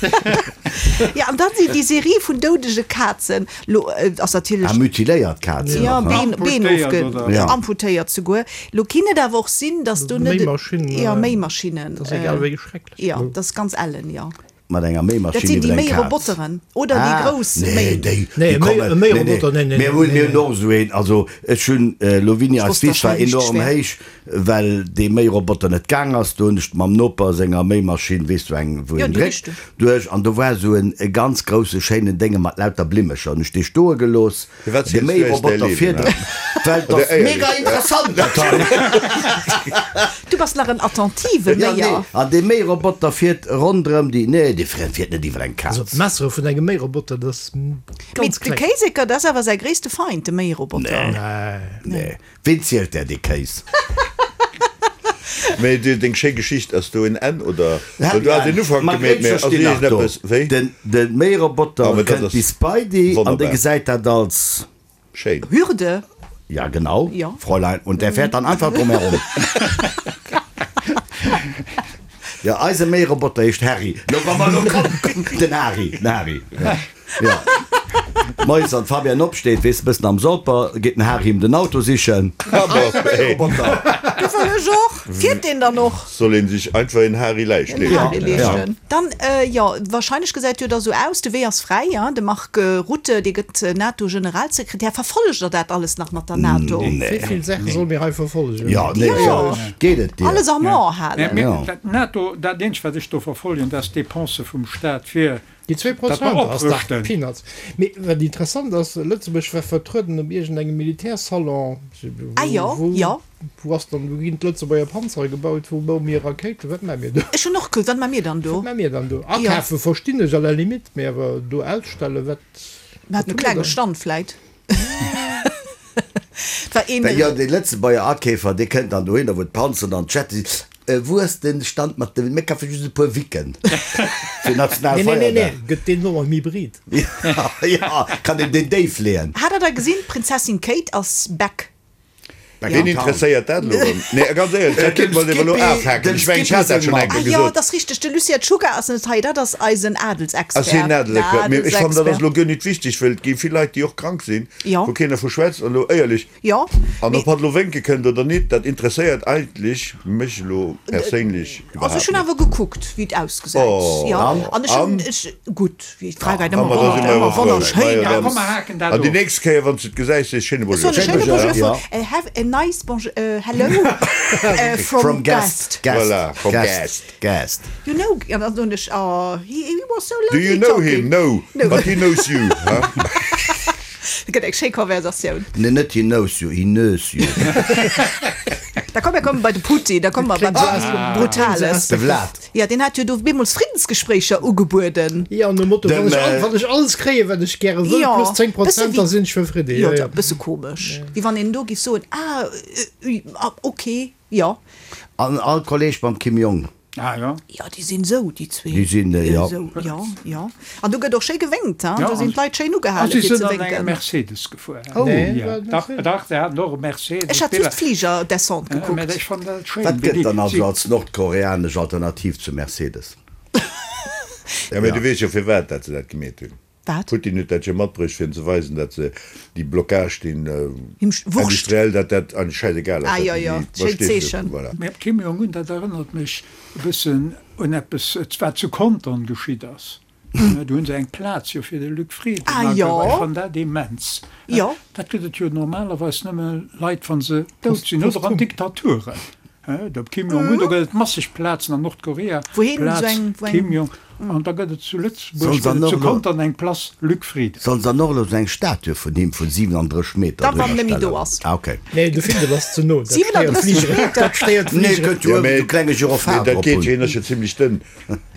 Speaker 2: Ja, an dann si déi Serie vun doudege Kazen, lo ass natierlech.
Speaker 5: Ah, mutiléiert Kazen
Speaker 2: Ja,
Speaker 5: och, ne?
Speaker 2: Been, Been
Speaker 4: Amputéiert,
Speaker 2: ofge,
Speaker 4: oder?
Speaker 5: Ja.
Speaker 2: amputéiert souguer. Lo kinn et awer och sinn, dass do net.
Speaker 6: Méimaschinn,
Speaker 2: Ja, Méimaschinnen.
Speaker 6: Dat ass egal wéi schrecklech.
Speaker 2: Ja, dat ass ganz ellen, jo.
Speaker 5: Mat enger
Speaker 2: Dat
Speaker 5: Méimaschinn
Speaker 2: sinn déi
Speaker 5: iwwer eng Kaz.
Speaker 2: Méiroboteren oder déi grouss
Speaker 5: Nee,
Speaker 2: Méi.
Speaker 5: déi,
Speaker 6: Nee,
Speaker 5: déi
Speaker 6: e Méi,
Speaker 5: kommen,
Speaker 6: e
Speaker 5: nee, nee.
Speaker 6: Méiroboter, nee, nee,
Speaker 5: Mir hunn,
Speaker 6: nee,
Speaker 5: mir hunn
Speaker 6: nee.
Speaker 5: och esou een. Also ech hunn, elo wéini
Speaker 2: Ech
Speaker 5: eis
Speaker 2: wosst, dass
Speaker 5: Wiss war
Speaker 2: schnell richteg
Speaker 5: enorm
Speaker 2: wär.
Speaker 5: héich, well dee Méiroboter net gaang ass. Do hunn ech mam Noper senger Méimaschinn, weess du, eng wou
Speaker 2: Jo,
Speaker 5: een
Speaker 2: déi
Speaker 5: dréckt,
Speaker 2: richteg.
Speaker 5: duerch an do war esou en e ganz grousse schéinen Dénge mat lauter Blimmecher. Hunn ech dee stoe gelooss.
Speaker 3: Firwat
Speaker 5: De
Speaker 3: ziels du eis däi
Speaker 5: Méiroboter
Speaker 3: Liewen,
Speaker 5: fiert,
Speaker 3: hä?
Speaker 5: well et
Speaker 3: Oder
Speaker 5: ass
Speaker 3: éierlech,
Speaker 5: mega interessant dat hei.
Speaker 2: Du bass nach en attentive
Speaker 5: Ja, nee,
Speaker 2: Méier.
Speaker 5: an dee Méiroboter fiert ronderëm déi, nee, dee fiert net iwwer eng
Speaker 6: Also
Speaker 5: Kaz.
Speaker 6: d'Messere vun engem Méiroboter, dat ass
Speaker 2: Mee
Speaker 6: ganz
Speaker 2: de
Speaker 6: kleng.
Speaker 2: Kéiseker, dat ass awer säi gréisste Feind, de Méiroboter.
Speaker 6: Nee.
Speaker 5: Nee, ween zielt där dee Kéis?
Speaker 3: Mee du, deng schéi Geschicht, ass do en Enn oder? Well du has en Ufank
Speaker 5: D'Margréit
Speaker 3: gemeet, mee ass
Speaker 5: verstinn nach do.
Speaker 3: iergendeppes, wéi?
Speaker 5: Den, de Méiroboter
Speaker 3: Ah, mä dat
Speaker 5: kënnt
Speaker 3: ass
Speaker 5: bis bei déi an dee
Speaker 3: wonnerbar.
Speaker 5: gesäit dat als.
Speaker 3: Schéin.
Speaker 2: Hürde.
Speaker 5: Ja, genau,
Speaker 2: Ja.
Speaker 5: Fräulein. Und der fährt dann einfach drum herum. Ja, eise Méiroboter heescht Harry. Lo, wa mer lo kommen, den Hari, den Hari. Ja. Ja. Moies wann d'Fabienne opsteet, weess e bëssen am Solper, geet den Hari him den Auto sichen.
Speaker 3: Roboter.
Speaker 2: Du wëll ech och. Fiert deen dann och?
Speaker 3: Soll een sech einfach een Hari leeschten.
Speaker 2: En Hari leeschten. Dann, jo, wahrscheinlech gesäit jo da sou aus, de Wee ass fräi, ja. De Mark Rutte, dee gëtt NATO-Generalsekretär. Verfollegt der dat alles nach mat der NATO?
Speaker 6: Wéi vill Saache solle mir hei verfollegen?
Speaker 5: Jo, nee, jo. Geet et dir?
Speaker 2: Alles am A halen.
Speaker 4: Dat NATO, dat eenzegt wat ech do verfollegen, dat ass d'Depensë vum Staat fir
Speaker 6: Déi 2% ass dach Peanuts. Mee wat interessant ass, Lëtzebuerg war vertrueden op iergendengem Militärsalon.
Speaker 2: Ah jo, jo.
Speaker 6: Wou ass dann, wou ginn d'Lëtzebuerger Panzere gebaut, wou baue mir Rakéiten, wat maache mir do?
Speaker 2: Ech hunn och gekuckt, wat maache mir dann do?
Speaker 6: Wat maache mir dann do? Akafe verstinn ech à la limite, mee awer do ausstellen, wat?
Speaker 2: Mir haten e klenge Stand vläit. Et war een.
Speaker 5: Jo, dee Lëtzebuerger Akeefer, dee kënnt dann dohinner, wou d'Panzeren an d'Jette sinn. Wou ass de Stand mat de, mir kafe just e puer Wicken fir Nationalfeierdag.
Speaker 6: Nee, nee, nee, gëtt deen och am Hybrid?
Speaker 5: Jo, kann een deen déif leeën.
Speaker 2: Hat der da gesinn, d'Prinzessin Kate ass back.
Speaker 3: Ween interesséiert dat elo erëm? Nee, ganz éierlech, dat kéinte mer elo afhaken. Ech mengen, ech hat dat schonn eng Kéier
Speaker 2: Ah jo,
Speaker 3: gesot.
Speaker 2: dat ass richteg, de Lucien Czuga ass net hei, dat ass eisen Adelsexpert.
Speaker 3: Ass hien Adelsexpert? Mee ech fannen, dat ass elo guer nit wichteg, well et gi vill Leit, déi och krank sinn, wou keen dervu schwätzt. An elo éierlech, an ob hatt elo wénke kënnt oder nit, dat interesséiert eigentlech mech elo perséinlech
Speaker 2: Also ech
Speaker 3: iwwerhaapt
Speaker 2: hunn
Speaker 3: net.
Speaker 2: awer gekuckt, wéi et ausgesäit.
Speaker 3: Oh,
Speaker 2: Jo,
Speaker 3: an?
Speaker 2: an ech hunn,
Speaker 3: An?
Speaker 2: ech, gutt, wéi d'Fräiheit
Speaker 3: Ah,
Speaker 2: ëmmer
Speaker 3: ma da si mer
Speaker 2: ëmmer
Speaker 3: jo frou.
Speaker 2: wonnerschéin
Speaker 3: Majo,
Speaker 2: ass.
Speaker 3: dann.
Speaker 4: Komm, mer haken dat
Speaker 3: An déi
Speaker 4: of.
Speaker 3: nächst Kéier, wann s du et gesäis, sees schéine
Speaker 2: Ech soen
Speaker 3: Bonjour.
Speaker 2: e schéine
Speaker 5: Bonjour,
Speaker 2: Bonjour
Speaker 5: ja.
Speaker 2: von, have a nice bonjour, hello, from
Speaker 5: From Guest.
Speaker 2: Guest.
Speaker 5: Guest.
Speaker 3: Voilà, from
Speaker 5: Guest.
Speaker 3: Guest.
Speaker 5: Guest.
Speaker 2: You know, an dann soen ech, oh, he, he was so
Speaker 3: Do
Speaker 2: lovely
Speaker 3: you know
Speaker 2: talking.
Speaker 3: him? No,
Speaker 2: No.
Speaker 3: but he knows you. Huh?
Speaker 2: Dat gëtt eng schéi Konversatioun.
Speaker 5: Nee, net he knows you, he knows you.
Speaker 2: Da komm, mir komme bei de Putin, da komme mer bei Brutales.
Speaker 5: De Vlad.
Speaker 2: Jo, deen hat jo do bemools Friddensgespréicher ugebueden.
Speaker 6: Jo, nom Motto,
Speaker 5: Dem,
Speaker 6: wann ech, wann ech alles kréien, wat ech gäre wëll,
Speaker 2: Jo,
Speaker 6: plus 10
Speaker 2: bësse
Speaker 6: Prozent,
Speaker 2: wéi,
Speaker 6: da sinn ech zefridde.
Speaker 2: jo,
Speaker 6: Jo, jo.
Speaker 2: e bësse komesch, wéi wann een do géif soen, ah, ok, jo.
Speaker 5: An all Kolleg mam Kim Jong.
Speaker 4: Ah jo.
Speaker 2: Jo, déi sinn esou, déi zwee.
Speaker 5: Déi sinn, jo.
Speaker 2: Esou, jo, jo. An do gëtt och schéi gewénkt, hein.
Speaker 4: Jo,
Speaker 2: Do sinn d'Leit schéin
Speaker 4: a
Speaker 2: ugehale
Speaker 4: si
Speaker 2: fir ze
Speaker 4: sinn an engem
Speaker 2: wénken.
Speaker 4: Mercedes gefuer.
Speaker 6: Oh. Nee,
Speaker 4: Ja,
Speaker 6: war et
Speaker 4: dach,
Speaker 6: Mercedes?
Speaker 4: dach, se haten och e Mercedes.
Speaker 2: Ech hat just d'Fligerdescente
Speaker 4: Mä
Speaker 2: gekuckt.
Speaker 4: ech fannen dat schéin,
Speaker 5: Wat
Speaker 4: wéi
Speaker 5: gëtt
Speaker 4: déi
Speaker 5: dann also
Speaker 4: si.
Speaker 5: als nordkoreanesch Alternativ zum Mercedes?
Speaker 3: Ja, mä du weess jo firwat dat se dat gemeet hunn.
Speaker 2: Wat?
Speaker 3: Putin huet dat jo matbruecht fir en ze weisen, dat se déi Blockage, deen
Speaker 2: Him Wurscht.
Speaker 3: industriell, dat dat eigentlech schäisegal ass.
Speaker 2: Ah
Speaker 3: dat
Speaker 2: jo,
Speaker 3: déi,
Speaker 2: jo, schéint
Speaker 3: verstees de,
Speaker 2: Zeechen.
Speaker 3: voilà.
Speaker 4: Mä Kim Jong-un, dat erënnert mech e bëssen un eppes, wat zu Contern geschitt ass. Do hu se eng Plaz jo fir de Luc Frieden
Speaker 2: Ah jo.
Speaker 4: ageweih. Ech fannen dat immens.
Speaker 2: Jo.
Speaker 4: Dat gëtt et jo normalerweis nëmme Leit, wa se dout sinn oder an Diktaturen. De Kim Jong-un, do gëtt et masseg Plazen an Nordkorea,
Speaker 2: Wou heen
Speaker 4: Plaz
Speaker 2: esou eng, wou eng.
Speaker 4: Kim Jong. An da gëtt et zu Lëtzebuerg, gëtt et zu Contern eng Place Luc Frieden.
Speaker 5: Sollen se dann och elo sou eng Statue vun him vun 37 Meter
Speaker 2: Da wann nëmme do ass.
Speaker 5: Ah ok.
Speaker 6: Nee, de Findel ass ze no. Dat stéiert
Speaker 5: d'Fligeren. Dat stéiert
Speaker 3: Nee,
Speaker 5: d'Fligeren. kënnt jo uewen sou klenge Gyrophar
Speaker 3: Mee dat
Speaker 5: drop
Speaker 3: geet
Speaker 5: hunn.
Speaker 3: jo, hien ass jo zimlech dënn.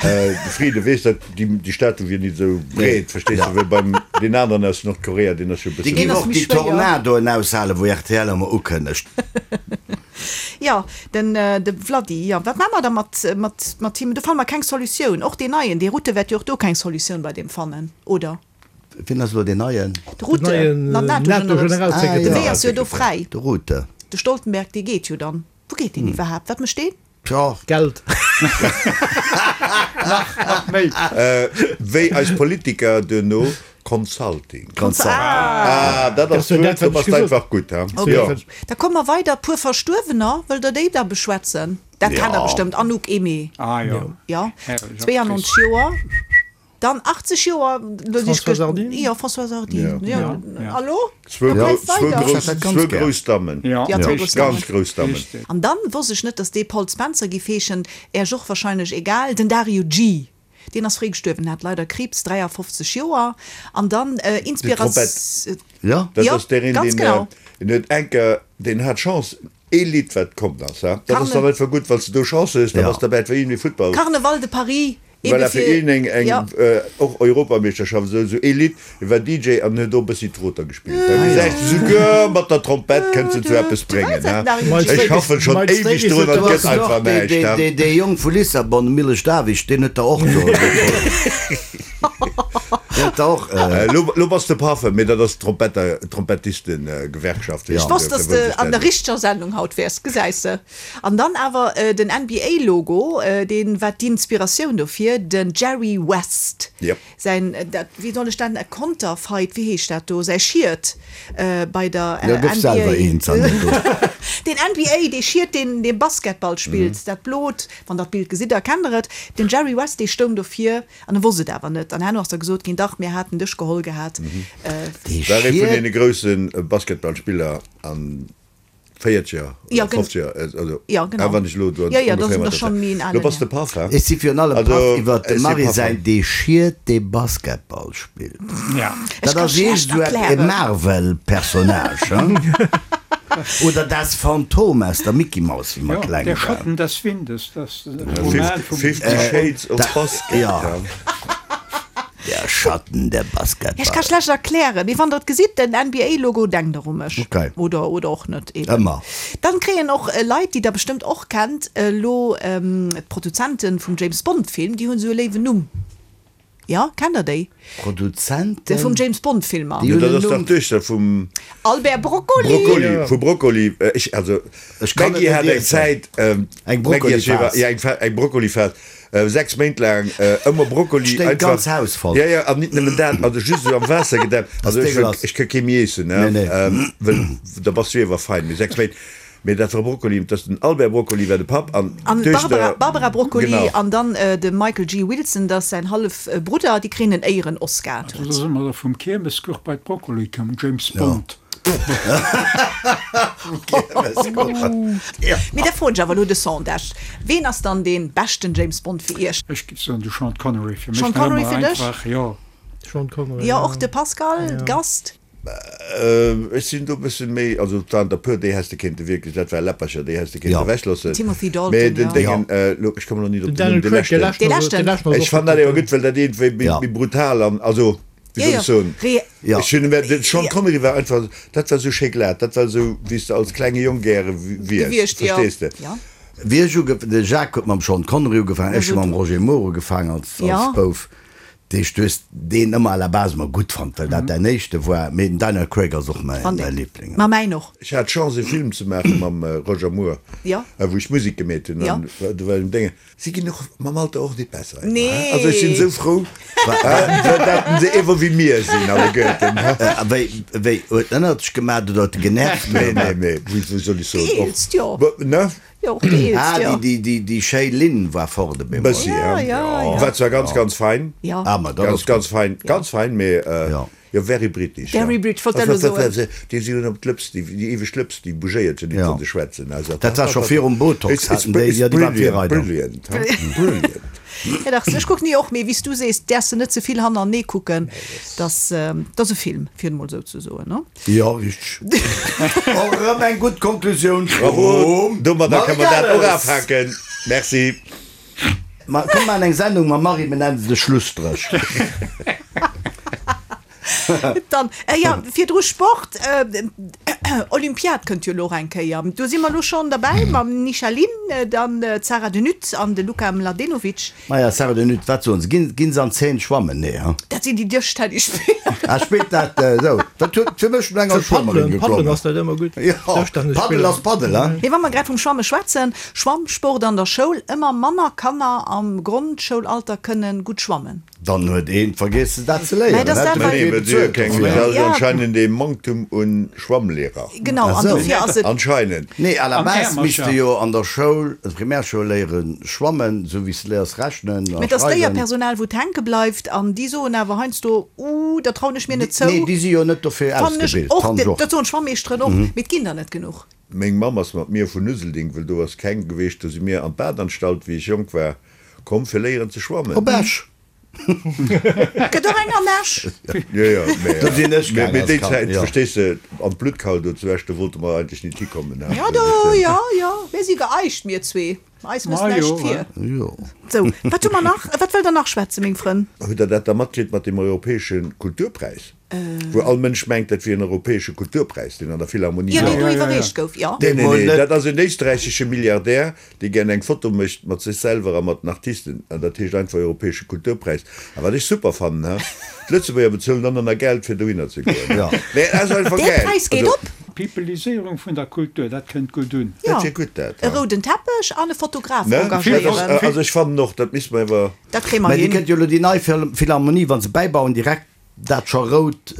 Speaker 3: De Frieden, weess dat, déi Statue wier nit esou breet, verstees de, wéi beim deen aneren aus Nordkorea, deen ass jo e
Speaker 5: Déi
Speaker 3: bësse
Speaker 5: géif
Speaker 3: méi.
Speaker 5: och déi Tornadoen aushalen, wou rtl ëmmer ukënnegt.
Speaker 2: Jo, den de Vladi, jo. Wat maache mer da mat, mat, mat him? Do fanne mer keng Solutioun. Och deen neien, dee Rutte wäert jo och do keng Solutioun bei deem fannen, oder?
Speaker 5: Wien ass elo deen neien?
Speaker 2: De Rutte,
Speaker 6: Den neien
Speaker 2: NATO-Generalsekretär. De
Speaker 6: NATO-Generalsekretär.
Speaker 2: Wee ass jo do fräi.
Speaker 5: De Rutte.
Speaker 2: De Stoltenberg, dee geet jo dann. Wou geet deen iwwerhaapt? Wat mécht deen?
Speaker 5: Tjo.
Speaker 6: Geld.
Speaker 4: Nach, nach méi.
Speaker 3: Wéi eis Politiker duerno, Consulting.
Speaker 5: Consulting.
Speaker 3: Ah, dat ass
Speaker 6: Dat ass jo dat,
Speaker 3: d'Wuert, do
Speaker 6: wat
Speaker 3: bass
Speaker 6: ech
Speaker 3: de
Speaker 6: gesot
Speaker 3: einfach gutt, ha?
Speaker 2: Ok,
Speaker 3: Jo.
Speaker 2: da komme mer weider. Puer Verstuerwener, wëllt der déi da beschwätzen? Dat kennt der
Speaker 5: Jo.
Speaker 2: bestëmmt, Anouk Aimée.
Speaker 4: Ah jo.
Speaker 2: Jo,
Speaker 4: Herrlech
Speaker 2: 92
Speaker 4: Actrice.
Speaker 2: Joer. Dann 80 Joer, lo si ech
Speaker 6: Françoise Hardin?
Speaker 2: Jo, Françoise Hardin,
Speaker 3: Jo.
Speaker 2: jo.
Speaker 4: Ja.
Speaker 2: Hallo?
Speaker 3: Zwou
Speaker 2: Da
Speaker 3: gro
Speaker 2: bleift
Speaker 3: zwou
Speaker 2: weider.
Speaker 3: grouss,
Speaker 5: Dat ganz
Speaker 3: zwou
Speaker 5: gär.
Speaker 3: grouss Dammen.
Speaker 4: Ja,
Speaker 2: Ja, zwou grouss Dammen.
Speaker 3: Ganz grouss Dammen.
Speaker 4: Richtig.
Speaker 2: An dann wosst ech net, dass dee Paul Spencer giff heeschen, Äerch och wahrscheinlech egal, den Dario G. Deen ass fréi gestuerwen, hat leider Kriibs, 53 Joer. An dann Inspirat.
Speaker 3: Trompett.
Speaker 5: Ja.
Speaker 3: Dat
Speaker 2: Jo,
Speaker 3: ass deen,
Speaker 2: ganz
Speaker 3: deen,
Speaker 2: genau.
Speaker 3: deen huet enker, deen hat Chance, ee Lidd wat komm ass, ha, dat ass dann einfach gutt, wann s de do Chance hues, da bass de derbäi, et war iergendwéi Futtball.
Speaker 2: Carneval de Paris, ebe
Speaker 3: Voilà, fir
Speaker 2: fir,
Speaker 3: een eng, eng
Speaker 2: jo.
Speaker 3: och Europameeschterschaft, esou, esou ee Lidd, hie war DJ an huet do e bëssi Troter gespillt. Da gesäis de, souguer mat der Trompett kënns de zu eppes bréngen, ha. Ech schaffen schonn éiweg drun an et gëtt einfach näischt, ha.
Speaker 5: Dee Jong vu Lissabon, de Milos Davic, deen huet der och do. Deen huet der och.
Speaker 3: Lo bass de Paffe, mee dat ass d'Trompetter, d'Trompettistengewerkschaft.
Speaker 2: Ech wosst, dass de an der richteger Sendung haut wäers, gesäis de. An dann awer den NBA-Logo, deen war d'Inspiratioun dofir, den Jerry West säin, dat, wéi soll ech dat nennen, Konterfeit, wéi heescht dat do, säi Schiet bei der NBA, den NBA, dee Schiet, deen dee Basketball spillt, dat blot, wann der d'Bild gesitt, erkennt der et, den Jerry West, dee stoung dofir an e wosst et awer net. An herno ass da gesot ginn, dach, mir haten dech geholl gehat.
Speaker 3: War ee vun deene grousse Basketballspiller an Véierzeger
Speaker 2: Ja,
Speaker 3: oder
Speaker 2: gen-
Speaker 3: Fofzeger, also
Speaker 2: Ja, genau.
Speaker 3: ah, wann ech elo do
Speaker 2: Ja, ja,
Speaker 3: ongeféier
Speaker 2: dat
Speaker 3: mat
Speaker 2: ass
Speaker 3: der
Speaker 2: schon
Speaker 3: Zäit.
Speaker 2: méi en alen
Speaker 3: Lo bass de
Speaker 2: Här.
Speaker 3: Paff, ha?
Speaker 5: Ech si virun allem
Speaker 3: Also,
Speaker 5: paff iwwert dem
Speaker 3: ech si
Speaker 5: Marie
Speaker 3: paff.
Speaker 5: säin Dee Schiet, dee Basketball spillt.
Speaker 4: Ja.
Speaker 2: Ech
Speaker 5: Dat
Speaker 2: ka
Speaker 5: ass
Speaker 2: schlecht
Speaker 5: iergend esou e
Speaker 2: erklären.
Speaker 5: Marvel-Personnage, hein? Oder Das Phantom aus der Mickey Maus, wéi mer
Speaker 4: Ja,
Speaker 5: kleng
Speaker 4: Der
Speaker 5: waren.
Speaker 4: Schatten des Windes, das Roman vum.
Speaker 3: Fifty Shades of Basket,
Speaker 5: ja.
Speaker 3: ha?
Speaker 5: Der Schatten, der
Speaker 2: Ja, ech ka
Speaker 5: Basketball.
Speaker 2: schlecht erklären, mee wann der et gesitt, den NBA-Logo, denkt der u mech.
Speaker 5: Okay.
Speaker 2: Oder, oder och net eben.
Speaker 5: Ëmmer.
Speaker 2: Dann kréien och Leit, déi der bestëmmt och kennt, elo d'Produzenten vum James Bond-Film, déi hunn esou e léiwen Numm. Jo, kennt der déi?
Speaker 5: Produzenten?
Speaker 2: Vum James Bond-Filmer.
Speaker 5: Déi
Speaker 3: Jo,
Speaker 5: hunn
Speaker 3: dat
Speaker 5: en
Speaker 3: ass dach
Speaker 5: Numm.
Speaker 3: d'Duechter vum
Speaker 2: Albert Broccoli!
Speaker 3: Broccoli, vu Broccoli. Ech, also,
Speaker 5: Ech kann
Speaker 3: d'Maggie
Speaker 5: et net
Speaker 3: hat eng
Speaker 5: iessen.
Speaker 3: Zäit,
Speaker 5: Eng
Speaker 3: d'Maggie ass jo iwwer,
Speaker 5: Broccoli-Phas.
Speaker 3: ja, eng Fa, eng Broccoli-Phas. 6 Méint laang ëmmer Brokkoli
Speaker 5: Sténgt d'ganz Haus voll.
Speaker 3: Ja, ja, an nit nëmmen dat, also just esou am Waasser gedämpt. Also ech wëll, ech ka kee méi iessen, ne, wëll da bass du iewer fein. Mee 6 Méint, mee dat war Brokkoli, dat ass den Albert Broccoli war de Papp an
Speaker 2: An
Speaker 3: d'Duechter.
Speaker 2: d'Barbara, Barbara Broccoli
Speaker 3: Genau.
Speaker 2: an dann de Michael G. Wilson, dat ass säin hallef Brudder, déi kréien en Éieren-Oscar.
Speaker 4: Also da si mer da vum Kiermeskuch bei d'Brokkoli komm, James Bond.
Speaker 2: Mee da froen ech awer elo de Sondage, Ween ass dann dee beschten James Bond fir Iech?
Speaker 4: Ech giff soen de Sean Connery fir mech
Speaker 2: Sean
Speaker 4: nach
Speaker 2: Connery
Speaker 4: ëmmer
Speaker 2: fir dech?
Speaker 4: einfach, jo.
Speaker 6: Sean Connery,
Speaker 2: Jo,
Speaker 6: ja.
Speaker 2: och de Pascal, Gast?
Speaker 3: Ech sinn do e bëssen méi, also et waren der puer, déi häss de kéinte wierklech, dat war Läppercher, déi häss de kéinte ewechloossen.
Speaker 2: Timothy Dalton,
Speaker 3: Mee den
Speaker 2: jo.
Speaker 3: Déngen, elo, ech kommen elo nit op
Speaker 6: Den
Speaker 3: den Numm,
Speaker 6: Daniel
Speaker 3: de
Speaker 6: Craig, dee
Speaker 3: leschten.
Speaker 6: leschten
Speaker 2: Dee
Speaker 6: ass, dee
Speaker 2: leschten.
Speaker 6: leschten ass
Speaker 3: Ech
Speaker 6: och
Speaker 3: fannen
Speaker 6: gutt,
Speaker 3: dat ewer
Speaker 6: ja.
Speaker 3: gutt, well dat iergendwéi méi,
Speaker 5: Ja.
Speaker 3: méi brutal an, also, wéi soll ech soen,
Speaker 5: Ja.
Speaker 3: ech hunn, de Sean Connery war einfach, dat war esou schéi glat, dat war esou, wéi s de als klenge Jong gäre wiers,
Speaker 2: Gewiescht, jo.
Speaker 3: verstees de?
Speaker 2: Ja.
Speaker 5: Wéi ech uge, de Jacques huet mam Sean Connery ugefaangen, ech hu mam Roger Moore ugefaangen als, als
Speaker 2: Ja.
Speaker 5: Bouf. Deesch, du hues deen ëmmer à la base ëmmer gutt fonnt, well dat däin éischte war, mee den Daniel Craig ass och mäi,
Speaker 2: Fand
Speaker 5: mäi
Speaker 2: ik.
Speaker 5: Liebling.
Speaker 2: Ma mäin och.
Speaker 3: Ech hat d'Chance e Film ze maache mam Roger Moore,
Speaker 2: Ja.
Speaker 3: wou ech Musek gemeet hunn
Speaker 2: Ja.
Speaker 3: an do war den Déngen, Si ginn och mam Alter och nit besser,
Speaker 2: Nee.
Speaker 3: also ech sinn esou frou, dat se ewer wéi mir sinn alleguerten.
Speaker 5: A wéi, wéi, huet en ënnert dech gemaat oder huet e genervt?
Speaker 3: Nee, nee, nee, wéi, wéi soll ech soen, och,
Speaker 2: Geheelst, jo.
Speaker 3: ne?
Speaker 2: Jo, och geheelst,
Speaker 5: Ah,
Speaker 2: jo.
Speaker 5: déi, déi, déi, déi schéi Linn war fort op eemol.
Speaker 3: Bëssi,
Speaker 2: Ja,
Speaker 3: ja.
Speaker 2: ja, ja.
Speaker 3: War zwar ganz, ganz fein.
Speaker 2: Ja.
Speaker 5: Ah, ma dat
Speaker 3: Ganz,
Speaker 5: ass
Speaker 3: ganz
Speaker 5: gutt.
Speaker 3: fein, ganz fein, mee
Speaker 5: Ja.
Speaker 3: Jo, very British, jo.
Speaker 2: Very British, wollt dat elo soen.
Speaker 3: Déi si hunn op d'Lëps, déi eweg Lëps, déi bougéiert jo nit, wa se schwätzen. Also,
Speaker 5: Dat war scho virum Botox, haten déi, jo, déi war
Speaker 3: Virreider. Brilliant, brilliant, brilliant.
Speaker 2: Ja dach, ech kucken déi och, mee wéi s du sees, däerfs de net ze vill hannerenee kucken. Dass, dat ass e Film, fir et emol esou ze soen, no?
Speaker 5: Jo, richteg. Och erëm eng gutt Konklusioun
Speaker 3: Bravo!
Speaker 5: vum
Speaker 3: Domadder
Speaker 5: Marie
Speaker 3: kënne mer dat och
Speaker 5: Gales.
Speaker 3: afhaken. Merci.
Speaker 5: Ma komm maachen eng Sendung mam Marie, mir nennen se de Schlusstréch.
Speaker 2: Dann, jo, virdru Sport, Olympiad kënnt jo elo och eng Kéier. Do si mer elo schonn derbäi mam Nisha Lin, dann d'Sarah De Nutte an de Luka Mladenovic.
Speaker 5: Maja, Sarah De Nutte, wat soen se? Ginn, ginn se an d'Zeen schwammen? Nee, ha?
Speaker 2: Dat sinn déi Dëschtennisspiller.
Speaker 5: Ah, spillt dat esou? Dat huet fir mech no enger
Speaker 6: Fir
Speaker 5: Schwammerin
Speaker 6: Paddelen, Paddelen
Speaker 5: geklongen.
Speaker 6: ass dat ëmmer gutt.
Speaker 5: Jo, Paddel ass Paddel, ha?
Speaker 2: Mee wa mer grad vum Schwamme schwätzen, Schwammsport an der Schoul, Ëmmer manner Kanner am Grondschoulalter kënne gutt schwammen.
Speaker 5: Dann huet een vergessen dat ze léieren.
Speaker 2: Mä et ass dat,
Speaker 3: Nee,
Speaker 2: wat.
Speaker 3: well si hu keng, dat ass anscheinend ee Manktum un Schwammlehrer.
Speaker 2: Genau, an dofir ass et.
Speaker 3: Anscheinend.
Speaker 5: Nee, à la
Speaker 4: An
Speaker 5: base misst de
Speaker 4: Äermercher.
Speaker 5: jo an der Schoul, an der Primärschoul léieren schwammen, sou wéi s de léiers rechnen a
Speaker 2: Mä et ass
Speaker 5: schreiwen.
Speaker 2: d'Léierpersonal, wou et hänke bleift, an déi soen awer heiansdo, Uh, dat trauen ech mir net zou.
Speaker 5: Nee, déi si jo net dofir
Speaker 2: Fannen ech
Speaker 5: ausgebilt,
Speaker 2: och,
Speaker 5: fannen ech och.
Speaker 2: dat soen d'Schwammeeschteren och, mee et ginn der net genuch.
Speaker 3: Meng Mamm ass mat mir vun Uselding, wëll do ass keng geweecht, do si mir an d'Badanstalt, wéi ech jonk war, komm fir léieren ze schwammen.
Speaker 5: Op Esch.
Speaker 2: Gëtt och eng an Esch.
Speaker 3: Jo, jo, mä,
Speaker 5: Do sinn ech
Speaker 3: mä,
Speaker 5: gaang
Speaker 3: mä
Speaker 5: als
Speaker 3: déi
Speaker 5: Kand,
Speaker 3: Zäit,
Speaker 5: jo.
Speaker 3: verstees de, an d'Bluttkal do zu Esch, do wollte mer eigentlech nit hikommen, he.
Speaker 2: Jo, do, jo, jo, mir si geeicht, mir zwee. Eis mësst
Speaker 4: Ma jo,
Speaker 2: näischt vir.
Speaker 5: Jo.
Speaker 2: Sou, wat hu mer nach? Wat wëllt Der nach schwätzen, meng Frënn?
Speaker 3: Hutt Der dat da matkritt mat deem europäesche Kulturpräis? Wou all Mënsch mengt, dat wier en europäesche Kulturpräis, deen an der Philharmonie
Speaker 2: Jo,
Speaker 3: war.
Speaker 2: deen do iwwerreecht gouf, jo.
Speaker 3: Nee, nee, nee, dat ass en éisträichesche Milliardär, dee gären eng Foto mécht mat sech selwer a mat den Artisten. An dat heescht einfach europäesche Kulturpräis. A wat ech super fannen, he, d'Lëtzebuerger bezuelen dann och nach Geld, fir dohinner ze goen.
Speaker 5: Jo.
Speaker 3: Nee, dat ass einfach
Speaker 2: Dee
Speaker 3: gäil.
Speaker 2: Präis geet
Speaker 3: Also.
Speaker 2: op.
Speaker 4: D'Peopeliséierung vun der Kultur, dat kënnt gutt un.
Speaker 2: Jo,
Speaker 3: Dat wier gutt, dat,
Speaker 2: e
Speaker 3: he.
Speaker 2: rouden Teppech an e Fotograf
Speaker 3: Ne?
Speaker 2: engagéieren.
Speaker 3: Also ech fannen och, dat misste mer awer.
Speaker 2: Dat kréie mer
Speaker 5: Mä déi
Speaker 2: hin.
Speaker 5: kënnt jo elo déi nei Philharmonie, wa se bäibauen, direkt Dat scho rout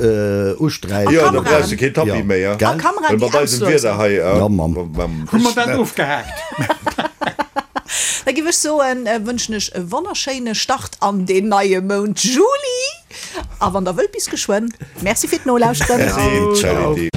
Speaker 5: usträichen.
Speaker 3: Jo, da brauchs de keen Tapis méi,
Speaker 2: A Kameraen,
Speaker 3: well
Speaker 2: déi
Speaker 3: mat eisem Wieder
Speaker 2: auslosen.
Speaker 3: hei.
Speaker 5: Ja, Mamm.
Speaker 4: Hu mer dat ofgehaakt?
Speaker 2: Da giff ech soen, wënschen ech e wonnerschéine Start an deen neie Mount Juli. A wann der wëllt, bis geschwënn. Merci fir d'Nolauschteren.
Speaker 3: Merci, Charity.